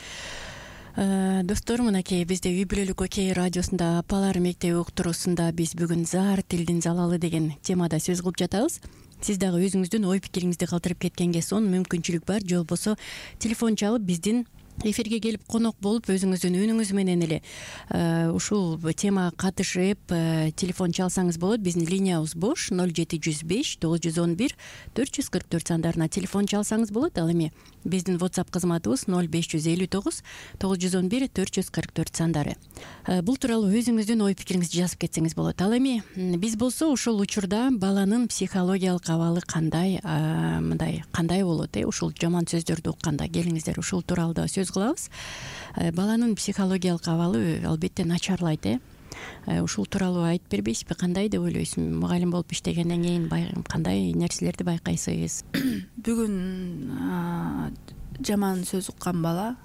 Достор, мынакей бизде үй бүлөлүк окей радиосунда апалар мектеби уктуруусунда биз бүгүн заар тилдин залалы деген темада сөз кылып жатабыз. Сиз дагы өзүңүздүн ой пикириңизди калтырып кеткенге сонун мүмкүнчүлүк бар. Же болбосо телефон чалып биздин эфирге келип конок болуп өзүңүздүн үнүңүз менен эле ушул темага катышып телефон чалсаңыз болот. Биздин линиябыз бош ноль жети жүз беш тогуз жүз он бир төрт жүз кырк төрт сандарына телефон чалсаңыз болот. Ал эми биздин WhatsApp кызматыбыз ноль беш жүз элүү тогуз тогуз жүз он бир төрт жүз кырк төрт сандары. Бул тууралуу өзүңүздүн ой пикириңизди жазып кетсеңиз болот. Ал эми биз болсо ошол учурда баланын психологиялык абалы кандай, мындай кандай болот, э ушул жаман сөздөрдү укканда? Келиңиздер ушул тууралуу да сөз кылабыз. Баланын психологиялык абалы албетте начарлайт, э ушул тууралуу айтып бербейсизби? Кандай деп ойлойсуз? Мугалим болуп иштегенден кийин кандай нерселерди байкайсыз? Бүгүн жаман сөз уккан бала,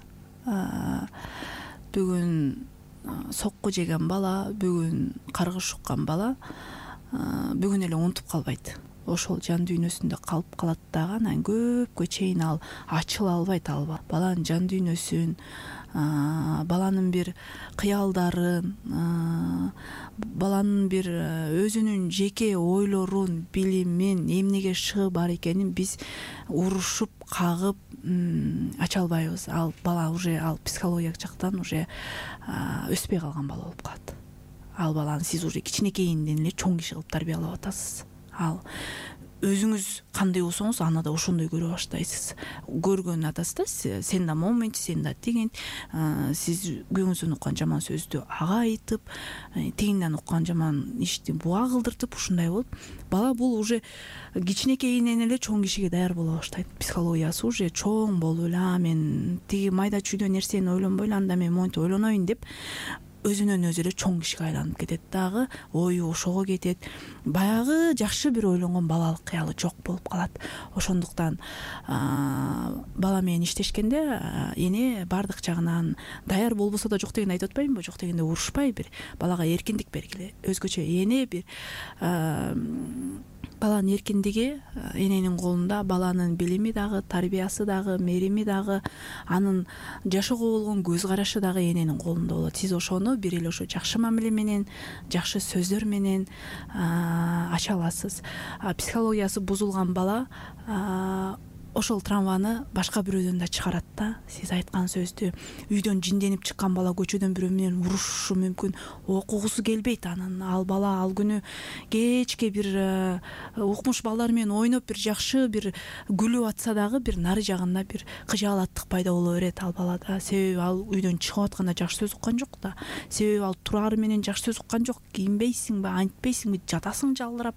бүгүн сокку жеген бала, бүгүн каргыш уккан бала бүгүн эле унутуп калбайт. Ошол жан дүйнөсүндө калып калат дагы. Анан көпкө чейин ал ачыла албайт. Ал баланын жан дүйнөсүн, баланын бир кыялдарын, баланын бир өзүнүн жеке ойлорун, билимин, эмнеге шыгы бар экенин биз урушуп, кагып ача албайбыз. Ал бала уже ал психологиялык жактан уже өспөй калган бала болуп калат. Ал баланы сиз уже кичинекейинден эле чоң киши кылып тарбиялап атасыз. Ал өзүңүз кандай болсоңуз аны да ошондой көрө баштайсыз. Көргөн атасыз да, сен да момент, сен да тиген, сиз күйөөңүздөн уккан жаман сөздү ага айтып, тигинден уккан жаман ишти буга кылдыртып, ушундай болуп, бала бул уже кичинекейинен эле чоң кишиге даяр боло баштайт. Психологиясы уже чоң болуп эле, а мен тиги майда чүйдө нерсени ойлонбой эле, анда мен монтип ойлоноюн деп өзүнөн өзү эле чоң кишиге айланып кетет дагы, ою ошого кетет. Баягы жакшы бир ойлонгон балалык кыялы жок болуп калат. Ошондуктан бала менен иштешкенде эне баардык жагынан даяр болбосо да жок деген айтып атпаймынбы? Жок дегенде урушпай бир балага эркиндик бергиле. Өзгөчө эне бир баланын эркиндиги эненин колунда, баланын билими дагы, тарбиясы дагы, мерими дагы, анын жашоого болгон көз карашы дагы эненин колунда болот. Сиз ошону бир эле ошо жакшы мамиле менен, жакшы сөздөр менен ача аласыз. Психологиясы бузулган бала ошол травманы башка бирөөдөн да чыгарат да. Сиз айткан сөздү үйдөн жинденип чыккан бала көчөдөн бирөө менен урушушу мүмкүн, окугусу келбейт анын. Ал бала ал күнү кечке бир укмуш балдар менен ойноп бир жакшы бир күлүп атса дагы бир нары жагында бир кыжаалаттык пайда боло берет ал балада. Себеби ал үйдөн чыгып атканда жакшы сөз уккан жок да. Себеби ал турары менен жакшы сөз уккан жок. Кийинбейсиңби, антпейсиңби, жатасың жалдырап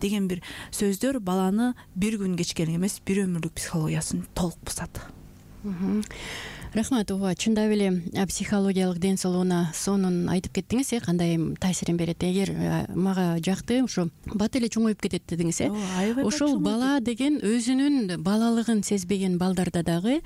деген бир сөздөр баланы бир күн кечке эмес, бир өмүрлүк психологиясын толук бузат. Рахмат. ооба, чындап эле психологиялык ден соолугуна сонун айтып кеттиңиз, э кандай таасирин берет. Эгер мага жакты, ошо бат эле чоңоюп кетет дедиңиз, э ошол бала деген өзүнүн балалыгын сезбеген балдарда дагы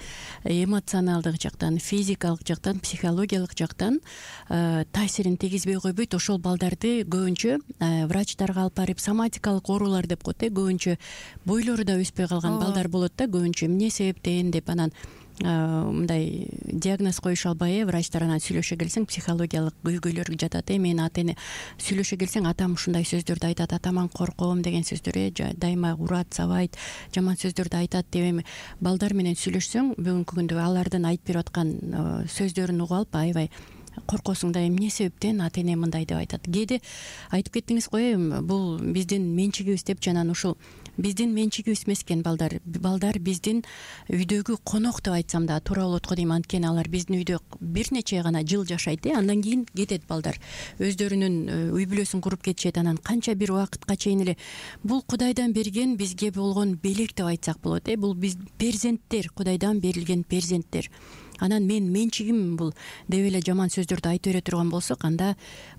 эмоционалдык жактан, физикалык жактан, психологиялык жактан таасирин тийгизбей койбойт. Ошол балдарды көбүнчө врачтарга алып барып соматикалык оорулар деп коет, э көбүнчө бойлору да өспөй калган балдар болот да, көбүнчө эмне себептен деп анан мындай диагноз коюша албай, э врачтар анан сүйлөшө келсең психологиялык көйгөйлөр жатат. э Мен ата эне сүйлөшө келсең атам ушундай сөздөрдү айтат, атаман корком деген сөздөр, э дайыма урат, сабайт, жаман сөздөрдү айтат деп эми балдар менен сүйлөшсөң бүгүнкү күндө алардын айтып берип аткан сөздөрүн угуп алып аябай коркосуң да, эмне себептен ата эне мындай деп айтат. Кээде айтып кеттиңиз го, бул биздин менчигибиз деп, жана ушул биздин менчигибиз эмес экен балдар. Балдар биздин үйдөгү конок деп айтсам да туура болот го дейм. Анткени алар биздин үйдө бир нече гана жыл жашайт, э андан кийин кетет балдар. Өздөрүнүн үй бүлөсүн куруп кетишет. Анан канча бир убакытка чейин эле бул Кудайдан берген бизге болгон белек деп айтсак болот, э бул биз перзенттер, Кудайдан берилген перзенттер. Анан мен менчигим бул деп эле жаман сөздөрдү айтып бере турган болсок, анда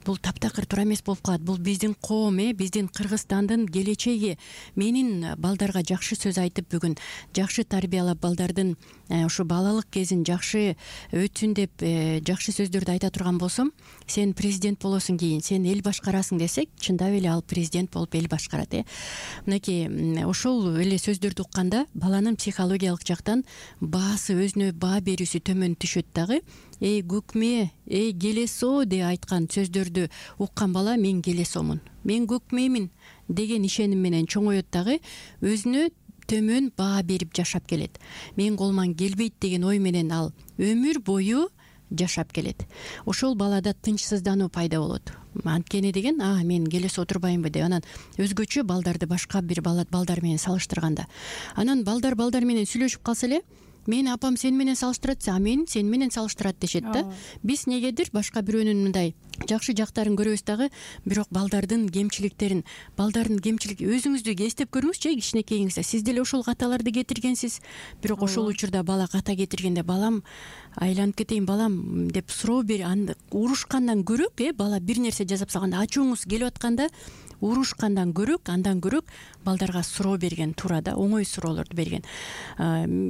бул таптакыр туура эмес болуп калат. Бул биздин коом, э биздин Кыргызстандын келечеги. Менин балдарга жакшы сөз айтып, бүгүн жакшы тарбиялап, балдардын ушу балалык кезин жакшы өтсүн деп жакшы сөздөрдү айта турган болсом, сен президент болосуң кийин, сен эл башкарасың десек, чындап эле ал президент болуп эл башкарат, э мынакей ошол эле сөздөрдү укканда баланын психологиялык жактан баасы, өзүнө баа берүүсү төмөн түшөт дагы. Эй көкмээ, эй келесоо деп айткан сөздөрдү уккан бала мен келесомун, мен көкмөймүн деген ишеним менен чоңоет дагы, өзүнө төмөн баа берип жашап келет. Мен колуман келбейт деген ой менен ал өмүр бою жашап келет. Ошол балада тынчсыздануу пайда болот. Анткени деген, а мен келесе отурбаймбы деп, анан өзгөчө балдарды башка бир балдар менен салыштырганда, анан балдар балдар менен сүйлөшүп калса эле, мен апам сен менен салыштырат, а мен сен менен салыштырат дешет да. Биз негедир башка бирөөнүн мындай жакшы жактарын көрөбүз дагы, бирок балдардын кемчиликтерин, балдардын кемчилик өзүңүздү эстеп көрүңүзчү, кичинекейиңизде сиз деле ошол каталарды кетиргенсиз. Бирок ошол учурда бала ката кетиргенде, балам айланып кетейин балам деп суроо бер, урушкандан көрөк, э бала бир нерсе жасап салганда, ачууңуз келип атканда урушкандан көрөк, андан көрөк балдарга суроо берген туура да, оңой суроолорду берген.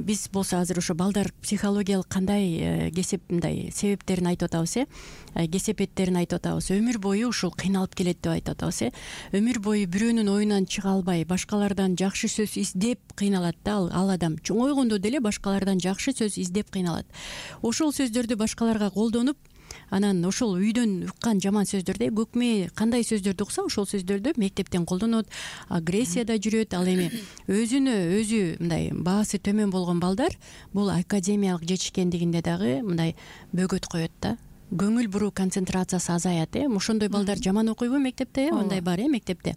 Биз болсо азыр ошо балдар психологиялык кандай кесеп мындай себептерин айтып атабыз, э кесепеттерин айтып атабыз. Өмүр бою ушул кыйналып келет деп айтып атабыз, э өмүр бою бирөөнүн оюнан чыга албай, башкалардан жакшы сөз издеп кыйналат да, ал адам чоңойгондо деле башкалардан жакшы сөз издеп кыйналат. Ошол сөздөрдү башкаларга колдонуп, анан ошол үйдөн уккан жаман сөздөрдү, көкмээ кандай сөздөрдү укса, ошол сөздөрдү мектептен колдонот, агрессияда жүрөт. Ал эми өзүнө өзү мындай баасы төмөн болгон балдар бул академиялык жетишкендигинде дагы мындай бөгөт коет да. Көңүл буруу концентрациясы азаят, э ошондой балдар жаман окуйбу мектепте, э мындай бар, э мектепте.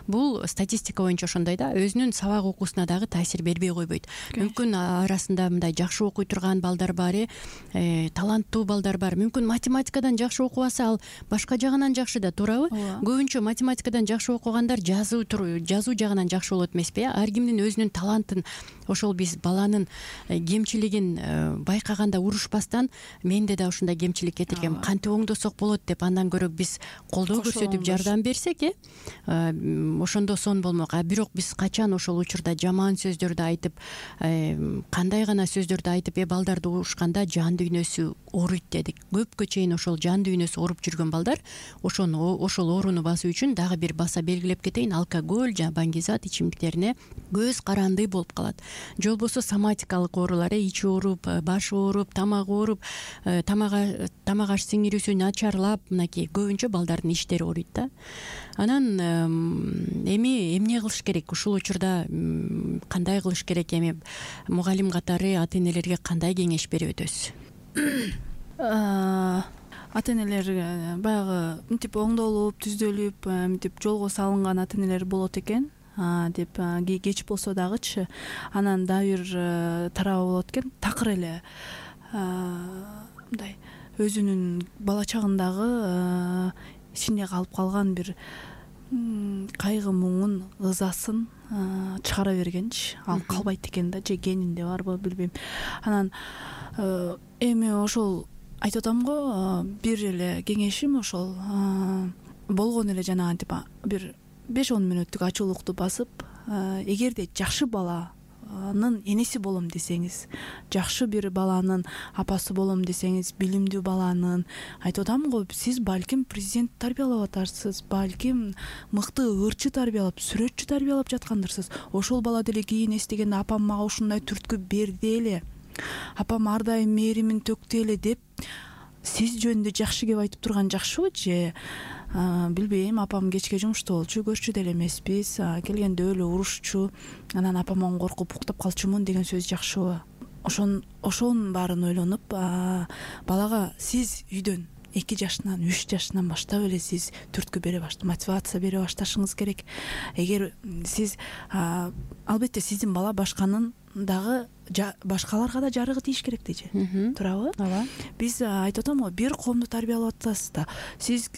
Бул статистика боюнча ошондой да, өзүнүн сабак окуусуна дагы таасир бербей койбойт. Мүмкүн арасында мындай жакшы окуй турган балдар бар, э таланттуу балдар бар. Мүмкүн математикадан жакшы окубаса, ал башка жагынан жакшы да, туурабы? Көбүнчө математикадан жакшы окугандар жазуу жазуу жагынан жакшы болот эмеспи? Ар кимдин өзүнүн талантын, ошол биз баланын кемчилигин байкаганда урушпастан, менде да ушундай кемчилик кетир, кантип оңдосок болот деп, андан көрө биз колдоо көрсөтүп жардам берсек, э ошондо сон болмок. А бирок биз качан ошол учурда жаман сөздөрдү айтып, кандай гана сөздөрдү айтып, э балдарды урушканда жан дүйнөсү ооруйт дедик. Көпкө чейин ошол жан дүйнөсү ооруп жүргөн балдар ошону ошол ооруну басуу үчүн дагы бир баса белгилеп кетейин, алкоголь жана баңгизат ичимдиктерине көз каранды болуп калат. Же болбосо соматикалык оорулар, ичи ооруп, башы ооруп, тамагы ооруп, тамага тамак аш сиңирүүсү начарлап, мынакей көбүнчө балдардын иштери ооруйт да. Анан эми эмне кылыш керек? Ушул учурда кандай кылыш керек? Эми мугалим катары ата энелерге кандай кеңеш берип өтөсүз? Ата энелер баягы мынтип оңдолуп, түздөлүп, мынтип жолго салынган ата энелер болот экен деп, кеч болсо дагычы. Анан дагы бир тарабы болот экен, такыр эле мындай өзүнүн бала чагындагы ичинде калып калган бир кайгы муңун ызасын чыгара бергенчи, ал калбайт экен да, же генинде барбы билбейм. Анан эми ошол айтып атам го, бир эле кеңешим ошол болгон эле жанагынтип бир беш он мүнөттүк ачуулукту басып, эгерде жакшы баланын энеси болом десеңиз, жакшы бир баланын апасы болом десеңиз, билимдүү баланын, айтып атам го, сиз балким президент тарбиялап атарсыз, балким мыкты ырчы тарбиялап, сүрөтчү тарбиялап жаткандырсыз. Ошол бала деле кийин эстегенде апам мага ушундай түрткү берди эле, апам ар дайым мээримин төктү эле деп сиз жөнүндө жакшы кеп айтып турган жакшыбы, же билбейм, апам кечке жумушта болчу, көрчү деле эмеспиз, келгенде эле урушчу, анан апаман коркуп уктап калчумун деген сөз жакшыбы? Ошон ошонун баарын ойлонуп, балага сиз үйдөн эки жашынан, үч жашынан баштап эле сиз түрткү бере баш, мотивация бере башташыңыз керек. Эгер сиз албетте сиздин бала башканын дагы башкаларга да жарыгы тийиш керек дейчи. Туурабы? Ооба. Биз айтып атам го, бир коомду тарбиялап атасыз да, сиз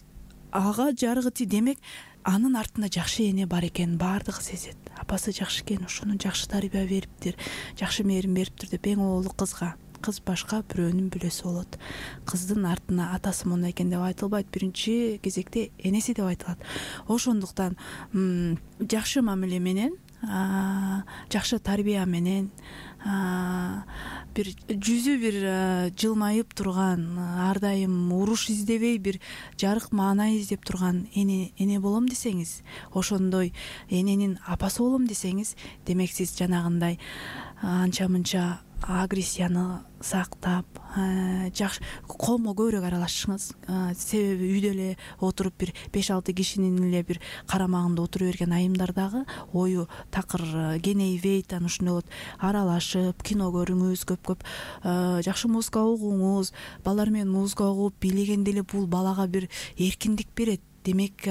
ага жарыгы тий, демек анын артында жакшы эне бар экенин баардыгы сезет. Апасы жакшы экен, ошону жакшы тарбия бериптир, жакшы мээрим бериптир деп эң оолу кызга, кыз башка бирөөнүн бүлөсү болот. Кыздын артына атасы мондай экен деп айтылбайт, биринчи кезекте энеси деп айтылат. Ошондуктан жакшы мамиле менен, жакшы тарбия менен, бир жүзү бир жылмайып турган, ар дайым уруш издебей бир жарык маана издеп турган эне эне болом десеңиз, ошондой эненин апасы болом десеңиз, демек сиз жанагындай анча мынча агрессияны сактап, жакшы коомго көбүрөөк аралашыңыз. Себеби үйдө эле отуруп бир беш алты кишинин эле бир карамагында отура берген айымдар дагы ою такыр кенейбейт, анан ушундай болот. Аралашып, кино көрүңүз, көп-көп жакшы музыка угуңуз. Балдар менен музыка угуп бийлегенде эле бул балага бир эркиндик берет. Демек,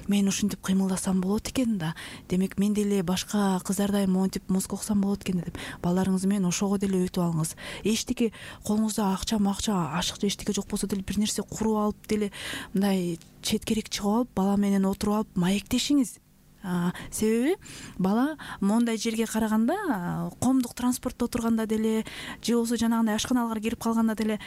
мен ушинтип кыймылдасам болот экен да. Демек, мен деле башка кыздардай монтип музыка уксам болот экен деп балдарыңыз менен ошого деле өтүп алыңыз. Эчтеке колуңузда акча, макча, ашык же эчтеке жок болсо деле бир нерсе куруп алып деле мындай четкерек чыгып алып, бала менен отуруп алып маектешиңиз. Себеби бала моундай жерге караганда, коомдук транспортто отурганда деле, же болбосо жанагындай ашканаларга кирип калганда деле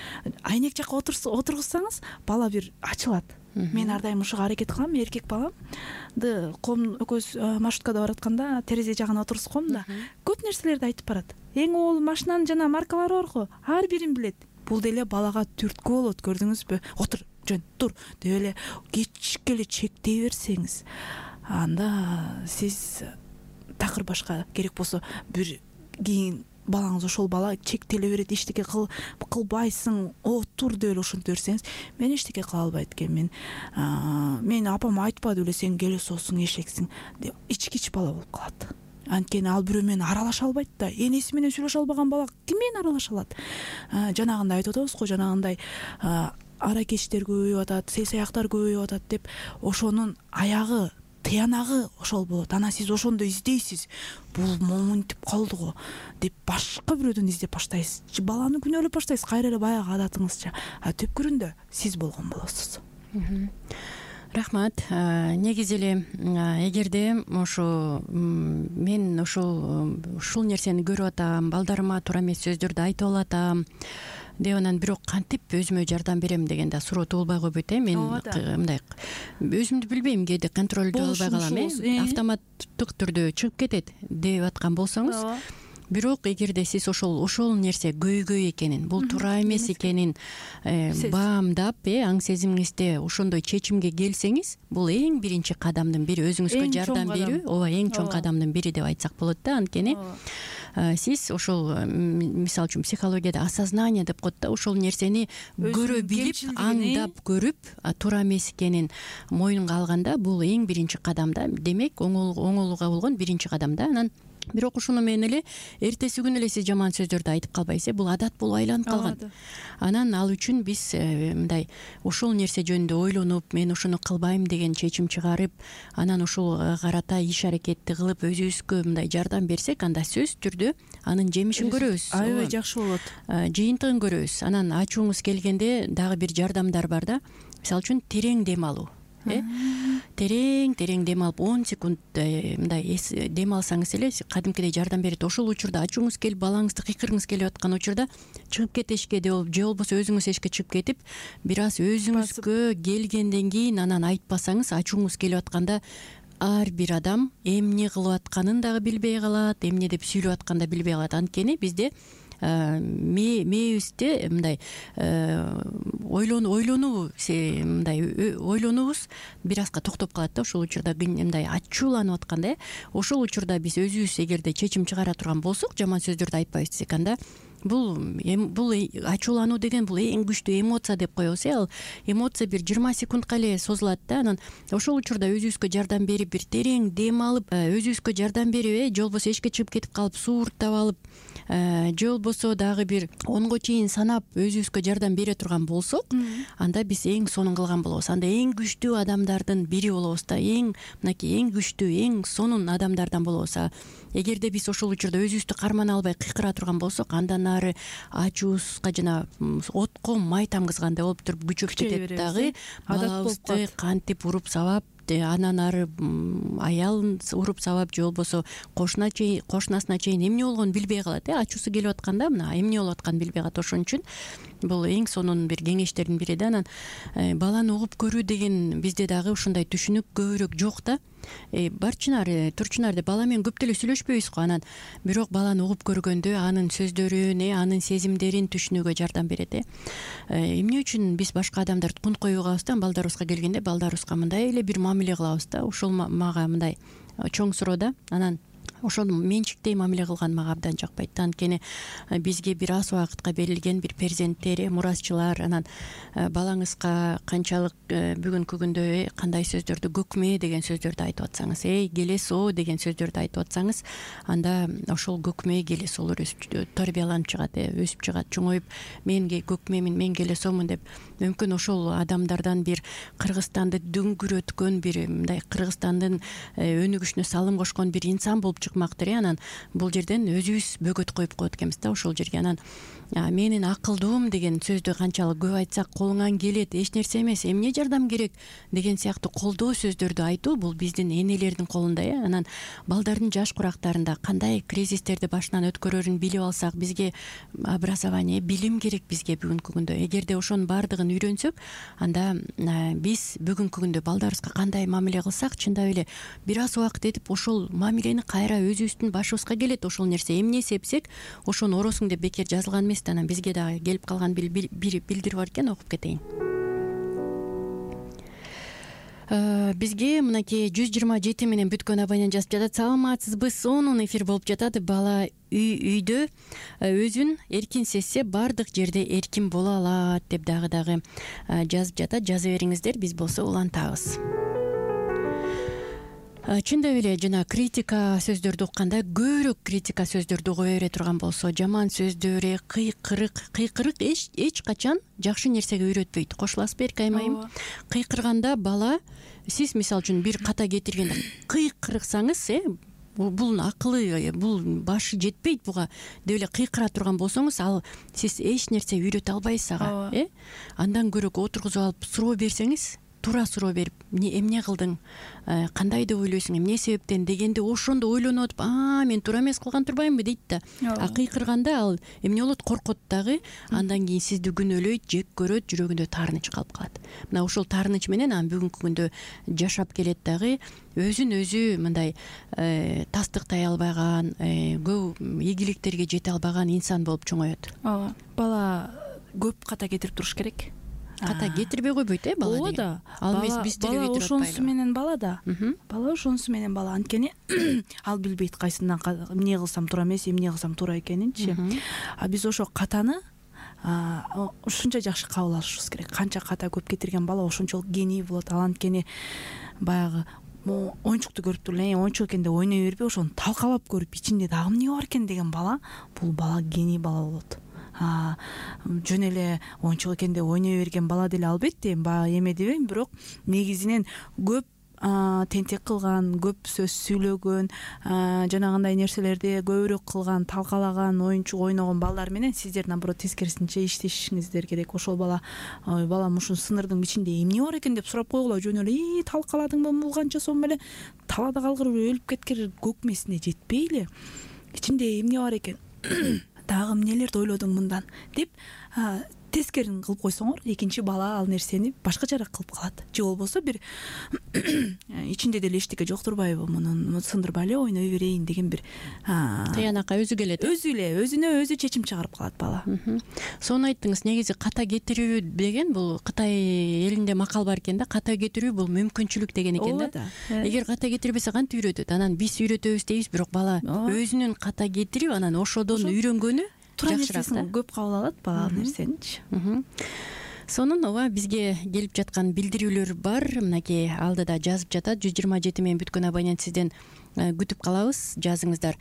айнек жакка отургузсаңыз, бала бир ачылат. Мен ар дайым ушуга аракет кылам, эркек баламды коом экөөбүз маршруткада баратканда терезе жагына отургузуп коем да, көп нерселерди айтып барат. Эң оол машинанын жана маркалары бар го, ар бирин билет. Бул деле балага түрткү болот, көрдүңүзбү? Отур, жөн, тур деп эле кечикке эле чектей берсеңиз, анда сиз такыр башка керек болсо бир кийин балаңыз ошол бала чектеле берет, эчтеке кылбайсың, отур деп эле ошентип берсеңиз, мен эчтеке кыла албайт экенмин, мен апам айтпады беле сен келесосуң, эшексиң деп ичкич бала болуп калат. Анткени ал бирөө менен аралаша албайт да. Энеси менен сүйлөшө албаган бала ким менен аралаша алат? Жанагындай айтып атабыз го, жанагындай аракечтер көбөйүп атат, сый саяктар көбөйүп атат деп ошонун аягы, тыянагы ошол болот. Анан сиз ошондо издейсиз. Бул момунтип калды го деп башка бирөөдөн издеп баштайсыз. Же баланы күнөөлөп баштайсыз, кайра эле баягы адатыңызча. А түпкүрүндө сиз болгон болосуз. Рахмат. Негизи эле эгерде ошо мен ошол ушул нерсени көрүп атам, балдарыма туура эмес сөздөрдү айтып алатам деп, анан бирок кантип өзүмө жардам берем деген да суроо туулбай койбойт э. Мен мындай өзүмдү билбейм, кээде контролдо албай калам э. Автоматтык түрдө чыгып кетет деп аткан болсоңуз, бирок эгерде сиз ошол ошол нерсе көйгөй экенин, бул туура эмес экенин баамдап, э, аң сезимиңизде ошондой чечимге келсеңиз, бул эң биринчи кадамдын бири, өзүңүзгө жардам берүү, ооба, эң чоң кадамдын бири деп айтсак болот да. Анткени сиз ошол, мисалы үчүн психологияда осознание деп коет да, ошол нерсени көрө билип, аңдап көрүп, туура эмес экенин мойнунга алганда, бул эң биринчи кадам да. Демек, оңолууга болгон биринчи кадам да. Анан бирок ушуну менен эле эртеси күнү эле сиз жаман сөздөрдү айтып калбайсыз, бул адат болуп айланып калган. Анан ал үчүн биз мындай ошол нерсе жөнүндө ойлонуп, мен ушуну кылбайм деген чечим чыгарып, анан ушул карата иш аракетти кылып өзүбүзгө мындай жардам берсек, анда сөзсүз түрдө анын жемишин көрөбүз. Аябай жакшы болот. Жыйынтыгын көрөбүз. Анан ачууңуз келгенде дагы бир жардамдар бар да. Мисалы үчүн терең дем алуу. Э? терең терең дем алып он секунд мындай дем алсаңыз эле кадимкидей жардам берет. Ошол учурда ачууңуз келип балаңызды кыйкыргыңыз келип аткан учурда чыгып кет эшикке же болбосо өзүңүз эшикке чыгып кетип бир аз өзүңүзгө келгенден кийин анан айтпасаңыз ачууңуз келип атканда ар бир адам эмне кылып атканын дагы билбей калат, эмне деп сүйлөп атканын да билбей калат. Анткени бизде мээбизде мындай ойлонуу ойлонуу мындай ойлонуубуз бир азга токтоп калат да. Ошол учурда мындай ачууланып атканда, ошол учурда биз өзүбүз эгерде чечим чыгара турган болсок, жаман сөздөрдү айтпайбыз десек, анда бул бул ачуулануу деген бул эң күчтүү эмоция деп коебуз. Ал эмоция бир жыйырма секундка эле созулат да. Анан ошол учурда өзүбүзгө жардам берип, бир терең дем алып, өзүбүзгө жардам берип, же болбосо эшикке чыгып кетип калып сууруктап алып, же болбосо дагы бир онго чейин санап өзүбүзгө жардам бере турган болсок, анда биз эң сонун кылган болобуз. Анда эң күчтүү адамдардын бири болобуз да. Эң мынакей эң күчтүү, эң сонун адамдардан болобуз. Эгерде биз ошол учурда өзүбүздү кармана албай кыйкыра турган болсок, андан ары ачуубузга жана отко май тамгызгандай болуп туруп күчөп кетет дагы. Балабызды кантип уруп сабап, анан ары аялын уруп сабап, же болбосо кошуна чейин кошунасына чейин эмне болгонун билбей калат. э Ачуусу келип атканда мына эмне болуп атканын билбей калат. Ошон үчүн бул эң сонун бир кеңештердин бири да. Анан баланы угуп көрүү деген бизде дагы ушундай түшүнүк көбүрөөк жок да. Барчынар турчунар деп бала менен көп деле сүйлөшпөйбүз го. Анан бирок баланы угуп көргөндө анын сөздөрүн, анын сезимдерин түшүнүүгө жардам берет. э Эмне үчүн биз башка адамдарды кунткой угабыз да, балдарыбызга келгенде балдарыбызга мындай эле бир мамиле кылабыз да. Ошол мага мындай чоң суроо да. Анан ошол менчиктей мамиле кылган мага абдан жакпайт. Анткени бизге бир аз убакытка берилген бир перзенттер, мурасчылар. Анан балаңызга канчалык бүгүнкү күндө кандай сөздөрдү, көкмө деген сөздөрдү айтып атсаңыз, эй келесоо деген сөздөрдү айтып атсаңыз, анда ошол көкмө келесоолор тарбияланып чыгат, өсүп чыгат, чоңоюп мен көкмөмүн, мен келесоомун деп. Мүмкүн ошол адамдардан бир Кыргызстанды дүңгүрөткөн, бир мындай Кыргызстандын өнүгүшүнө салым кошкон бир инсан болуп чыкмактыр. Анан бул жерден өзүбүз бөгөт коюп коет экенбиз да ошол жерге. Анан менин акылдуум деген сөздү канчалык көп айтсак, колуңан келет, эч нерсе эмес, эмне жардам керек деген сыяктуу колдоо сөздөрдү айтуу бул биздин энелердин колунда. э Анан балдардын жаш курактарында кандай кризистерди башынан өткөрөрүн билип алсак, бизге образование, билим керек бизге бүгүнкү күндө. Эгерде ошонун баардыгын үйрөнсөк, анда биз бүгүнкү күндө балдарыбызга кандай мамиле кылсак, чындап эле бир аз убакыт этип ошол мамилени кайра өзүбүздүн башыбызга келет. Ошол нерсе эмне сепсек, ошону оросуң деп бекер жазылган эмес. Анан бизге дагы келип калган бир билдирүү бар экен, окуп кетейин. Бизге мынакей жүз жыйырма жети менен бүткөн абонент жазып жатат. Саламатсызбы, сонун эфир болуп жатат. Бала үйдө өзүн эркин сезсе, баардык жерде эркин боло алат деп дагы дагы жазып жатат. Жаза бериңиздер, биз болсо улантабыз. Чындап эле жана критика сөздөрдү укканда көбүрөөк критика сөздөрдү кое бере турган болсо, жаман сөздөр, кыйкырык кыйкырык эч эч качан жакшы нерсеге үйрөтпөйт. Кошуласызбы Эркай майым? Кыйкырганда бала, сиз мисалы үчүн бир ката кетиргенде кыйкырсаңыз, э бул акылы, бул башы жетпейт буга деп эле кыйкыра турган болсоңуз, ал сиз эч нерсе үйрөтө албайсыз ага. э Андан көрө отургузуп алып суроо берсеңиз, туура суроо берип, эмне кылдың, кандай деп ойлойсуң, эмне себептен дегенде, ошондо ойлонуп атып, а мен туура эмес кылган турбаймынбы дейт да. А кыйкырганда ал эмне болот, коркот дагы, андан кийин сизди күнөөлөйт, жек көрөт, жүрөгүндө таарыныч калып калат. Мына ошол таарыныч менен анан бүгүнкү күндө жашап келет дагы, өзүн өзү мындай тастыктай албаган, көп ийгиликтерге жете албаган инсан болуп чоңоет. Ооба, бала көп ката кетирип туруш керек. Ката кетирбей койбойт, э бала деген. Ооба, ал эмес биз деле кетирип атпайлы. Бала ошонусу менен бала да. Бала ошонусу менен бала. Анткени ал билбейт кайсынан эмне кылсам туура эмес, эмне кылсам туура экенинчи. А биз ошо катаны ушунча жакшы кабыл алышыбыз керек. Канча ката көп кетирген бала ошончолук гений болот. Ал анткени баягы оюнчукту көрүп туруп эле, оюнчук экен деп ойной бербей, ошону талкалап көрүп, ичинде дагы эмне бар экен деген бала, бул бала гений бала болот. Жөн эле оюнчук экен деп ойной берген бала деле албетте баягы эме дебейм, бирок негизинен көп тентек кылган, көп сөз сүйлөгөн, жанагындай нерселерди көбүрөөк кылган, талкалаган, оюнчук ойногон балдар менен сиздер наоборот тескерисинче иштешиңиздер керек. Ошол бала ой балам ушул сынырдын ичинде эмне бар экен деп сурап койгула, жөн эле и талкаладыңбы, бул канча сом эле талаада калгырып өлүп кеткир көкмесине жетпей эле ичинде эмне бар экен, дагы эмнелерди ойлодуң мындан деп тескерин кылып койсоңор, экинчи бала ал нерсени башкачараак кылып калат. Же болбосо бир ичинде деле эчтеке жоктурбайбы, мунун сындырбай эле ойной берейин деген бир тыянакка өзү келет. Өзү эле өзүнө өзү чечим чыгарып калат бала. Сону айттыңыз, негизи ката кетирүү деген бул Кытай элинде макал бар экен да, ката кетирүү бул мүмкүнчүлүк деген экен да. Эгер ката кетирбесе кантип үйрөтөт? Анан биз үйрөтөбүз дейбиз, бирок бала өзүнүн ката кетирип, анан ошодон үйрөнгөнү туура нерсесин көп кабыл алат бала ал нерсеничи. Сонун ооба бизге келип жаткан билдирүүлөр бар. Мынакей алдыда жазып жатат. жүз жыйырма жети менен бүткөн абонент сизден күтүп калабыз, жазыңыздар.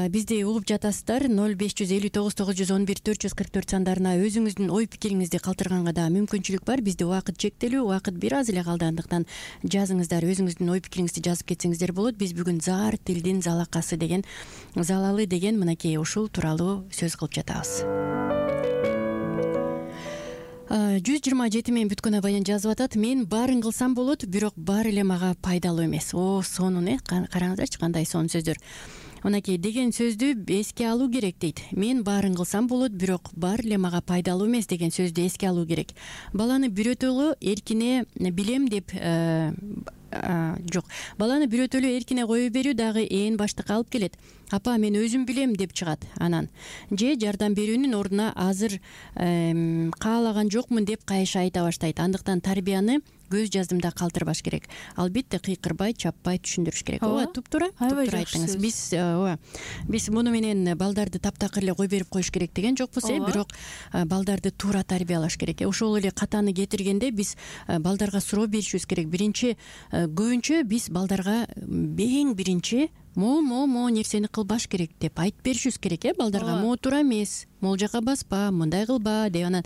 Бизди угуп жатасыздар. ноль беш жүз элүү тогуз тогуз жүз он бир төрт жүз кырк төрт сандарына өзүңүздүн ой пикириңизди калтырганга да мүмкүнчүлүк бар. Бизде убакыт чектелүү, убакыт бир аз эле калды, андыктан жазыңыздар, өзүңүздүн ой пикириңизди жазып кетсеңиздер болот. Биз бүгүн заар тилдин залакасы деген, залалы деген мынакей ушул тууралуу сөз кылып жатабыз. жүз жыйырма жети менен бүткөн абонент жазып атат. Мен баарын кылсам болот, бирок баары эле мага пайдалуу эмес. О, сонун э, караңыздарчы кандай сонун сөздөр. Мынакей деген сөздү эске алуу керек дейт. Мен баарын кылсам болот, бирок баары эле мага пайдалуу эмес деген сөздү эске алуу керек. Баланы бирөөтөлө эркине билем деп жок. Баланы бирөөтөлө эркине кое берүү дагы ээн баштыкка алып келет. Апа, мен өзүм билем деп чыгат анан. Же жардам берүүнүн ордуна азыр каалаган жокмун деп кайша айта баштайт. Андыктан тарбияны көз жаздымда калтырбаш керек. Албетте кыйкырбай, чаппай түшүндүрүш керек. Ооба, туптуура, туптуура айттыңыз. Биз ооба, биз муну менен балдарды таптакыр эле кой берип коюш керек деген жокпуз, э, бирок балдарды туура тарбиялаш керек. Ошол эле катаны кетиргенде биз балдарга суроо беришибиз керек. Биринчи көбүнчө биз балдарга эң биринчи могу могу могу нерсени кылбаш керек деп айтып беришибиз керек, э, балдарга. Могу туура эмес, могу жака баспа, мындай кылба деп. Анан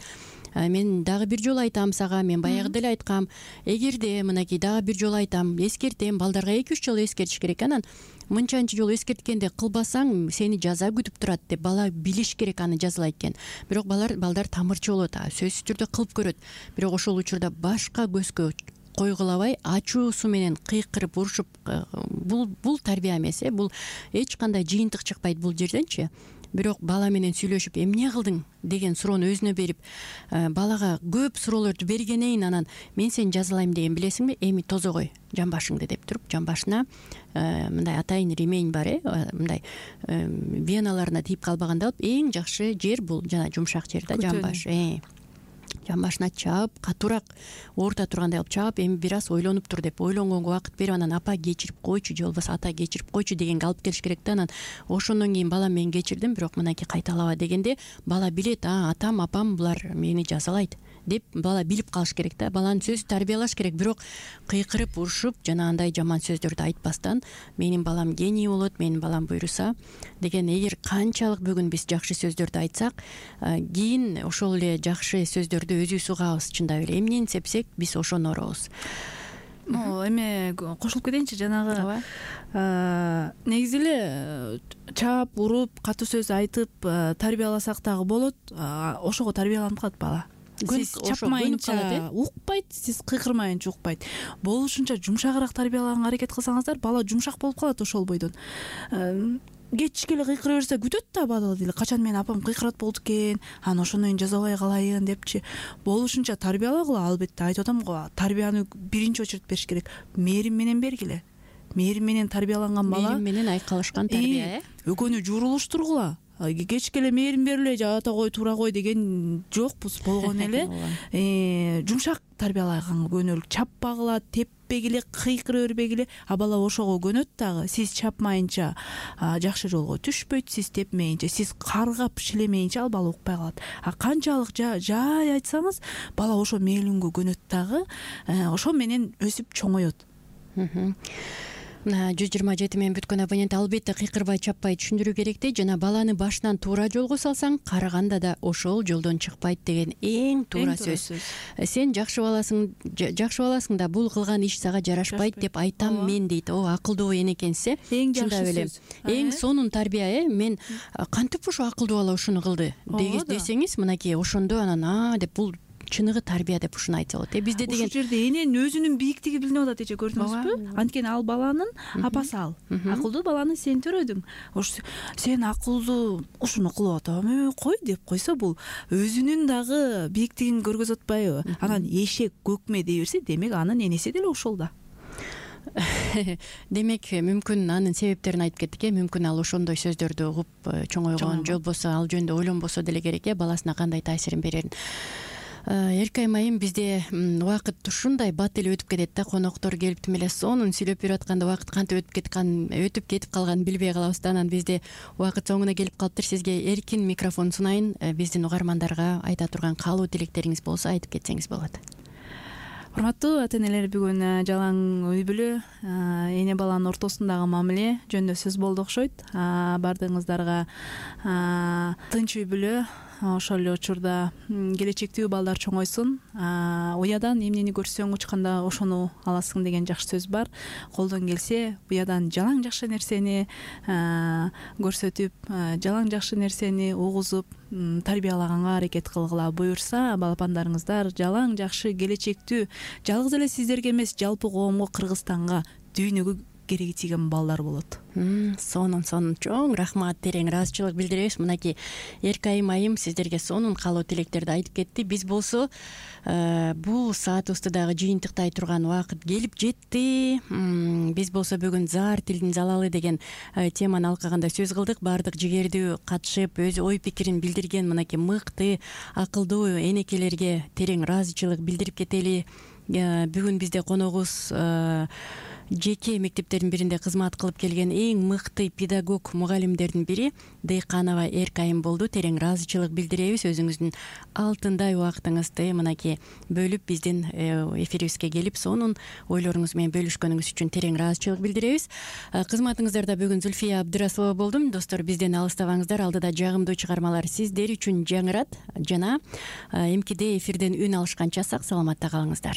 мен дагы бир жолу айтам сага, мен баягы деле айткам, эгерде мынакей дагы бир жолу айтам, эскертем, балдарга эки үч жолу эскертиш керек. Анан мынчанчы жолу эскерткенде кылбасаң сени жаза күтүп турат деп бала билиш керек, аны жазалайт экен. Бирок балдар балдар тамырчы болот, сөзсүз түрдө кылып көрөт. Бирок ошол учурда башка көзгө койгулабай, ачуусу менен кыйкырып урушуп, бул бул тарбия эмес, э, бул эч кандай жыйынтык чыкпайт бул жерденчи. Бирок бала менен сүйлөшүп, эмне кылдың деген суроону өзүнө берип, балага көп суроолорду бергенен анан мен сени жазалайм деген билесиңби, эми тозо кой жамбашыңды деп туруп, жамбашына мындай атайын ремень бар, э, мындай веналарына тийип калбаганда алып, эң жакшы жер бул жана жумшак жер да, жамбаш. Жамбашына чаап, катуураак оорта тургандай алып чаап, эми бир аз ойлонуп тур деп, ойлонгонго убакыт берип, анан апа кечирип койчу, же болбосо ата кечирип койчу дегенге алып келиш керек да. Анан ошондон кийин бала мен кечирдим, бирок мынакей кайталаба дегенде бала билет, а атам, апам булар мени жазалайт деп бала билип калыш керек да. Баланы сөз тарбиялаш керек, бирок кыйкырып урушуп жанагындай жаман сөздөрдү айтпастан, менин балам гений болот, менин балам буйруса деген. Эгер канчалык бүгүн биз жакшы сөздөрдү айтсак, кийин ошол эле жакшы сөздөрдү өзүбүз угабыз. Чындап эле эмнени сепсек биз ошону орообуз. Эме кошулуп кетейинчи, жанагы негизи эле чаап, уруп, катуу сөз айтып тарбияласак дагы болот, ошого тарбияланып калат бала. Сиз чапмайынча укпайт, сиз кыйкырмайынча укпайт. Болушунча жумшагыраак тарбиялаганга аракет кылсаңыздар, бала жумшак болуп калат ошол бойдон. Кечичке эле кыйкыра берсе күтөт да бала деле, качан менин апам кыйкырат болду экен, анан ошондон кийин жазабай калайын депчи. Болушунча тарбиялагыла, албетте айтып атам го, тарбияны биринчи очередь бериш керек. Мээрим менен бергиле. Мээрим менен тарбияланган бала, мээрим менен айкалышкан тарбия, э. Экөөнү журулуштургула. Кечке эле мээрим берле, ата кой, туура кой деген жокпуз, болгон эле. Жумшак тарбиялаганга көнөлүк, чаппагыла, теппегиле, кыйкыра бербегиле. А бала ошого көнөт дагы. Сиз чапмайынча жакшы жолго түшпөйт, сиз тепмейинче, сиз каргап шилемейинче ал бала укпай калат. А канчалык жай айтсаңыз, бала ошо мээлүүнгө көнөт дагы, ошо менен өсүп чоңоет. мына жүз жыйырма жети менен бүткөн абонент албетте кыйкырбай чаппай түшүндүрүү керек да, жана баланы башынан туура жолго салсаң карыганда да ошол жолдон чыкпайт деген эң туура сөз. Сен жакшы баласың, жакшы баласың да бул кылган иш сага жарашпайт деп айтам мен дейт. О, акылдуу эне экенсиз э. Эң жакшы сөз. Эң сонун тарбия э. Мен кантип ушу акылдуу бала ушуну кылды десеңиз, мынакей ошондо анан а деп бул чыныгы тарбия деп ушуну айтса болот э. Бизде деген ушул жерде эненин өзүнүн бийиктиги билинип атат эже, көрдүңүзбү? Анткени ал баланын апасы ал. Акылдуу баланы сен төрөдүң. Ош сен акылдуу ушуну кылып атам, кой деп койсо бул өзүнүн дагы бийиктигин көргөзүп атпайбы? Анан эшек көкмө дей берсе, демек анын энеси деле ошол да. Демек мүмкүн анын себептерин айтып кеттик э. Мүмкүн ал ошондой сөздөрдү угуп чоңойгон, же болбосо ал жөнүндө ойлонбосо деле керек э, баласына кандай таасирин берерин. Эркайым айым, бизде убакыт ушундай бат эле өтүп кетет да, коноктор келип тим эле сонун сүйлөп берип атканда убакыт кантип өтүп кеткан, өтүп кетип калганын билбей калабыз да. Анан бизде убакыт соңуна келип калыптыр. Сизге эркин микрофон сунайын, биздин угармандарга айта турган каалоо тилектериңиз болсо айтып кетсеңиз болот. Урматтуу ата-энелер, бүгүн жалаң үй бүлө, эне баланын ортосундагы мамиле жөнүндө сөз болду окшойт. Баардыгыңыздарга тынч үй бүлө, ошол эле учурда келечектүү балдар чоңойсун, уядан эмнени көрсөң учканда ошону аласың деген жакшы сөз бар. Колдон келсе уядан жалаң жакшы нерсени көрсөтүп, жалаң жакшы нерсени угузуп тарбиялаганга аракет кылгыла. Буюрса балапандарыңыздар жалаң жакшы келечектүү, жалгыз эле сиздерге эмес, жалпы коомго, Кыргызстанга, дүйнөгө кереги тийген балдар болот. Сонун сонун чоң рахмат, терең ыраазычылык билдиребиз. Мынакей Эркайым айым сиздерге сонун каалоо тилектерди айтып кетти. Биз болсо бул саатыбызды дагы жыйынтыктай турган убакыт келип жетти. Биз болсо бүгүн заар тилдин залалы деген теманы алкаганда сөз кылдык. Баардык жигердүү катышып, өз ой пикирин билдирген мынакей мыкты, акылдуу энекелерге терең ыраазычылык билдирип кетели. Бүгүн бизде коногубуз жеке мектептердин биринде кызмат кылып келген эң мыкты педагог мугалимдердин бири Дейканова Эркайым болду. Терең ыраазычылык билдиребиз. Өзүңүздүн алтындай убактыңызды мынакей бөлүп биздин эфирибизге келип сонун ойлоруңуз менен бөлүшкөнүңүз үчүн терең ыраазычылык билдиребиз. Кызматыңыздарда бүгүн Зүлфия Абдырасулова болдум. Достор, бизден алыстабаңыздар. Алдыда жагымдуу чыгармалар сиздер үчүн жаңырат жана эмкиде эфирден үн алышканча сак саламатта калыңыздар.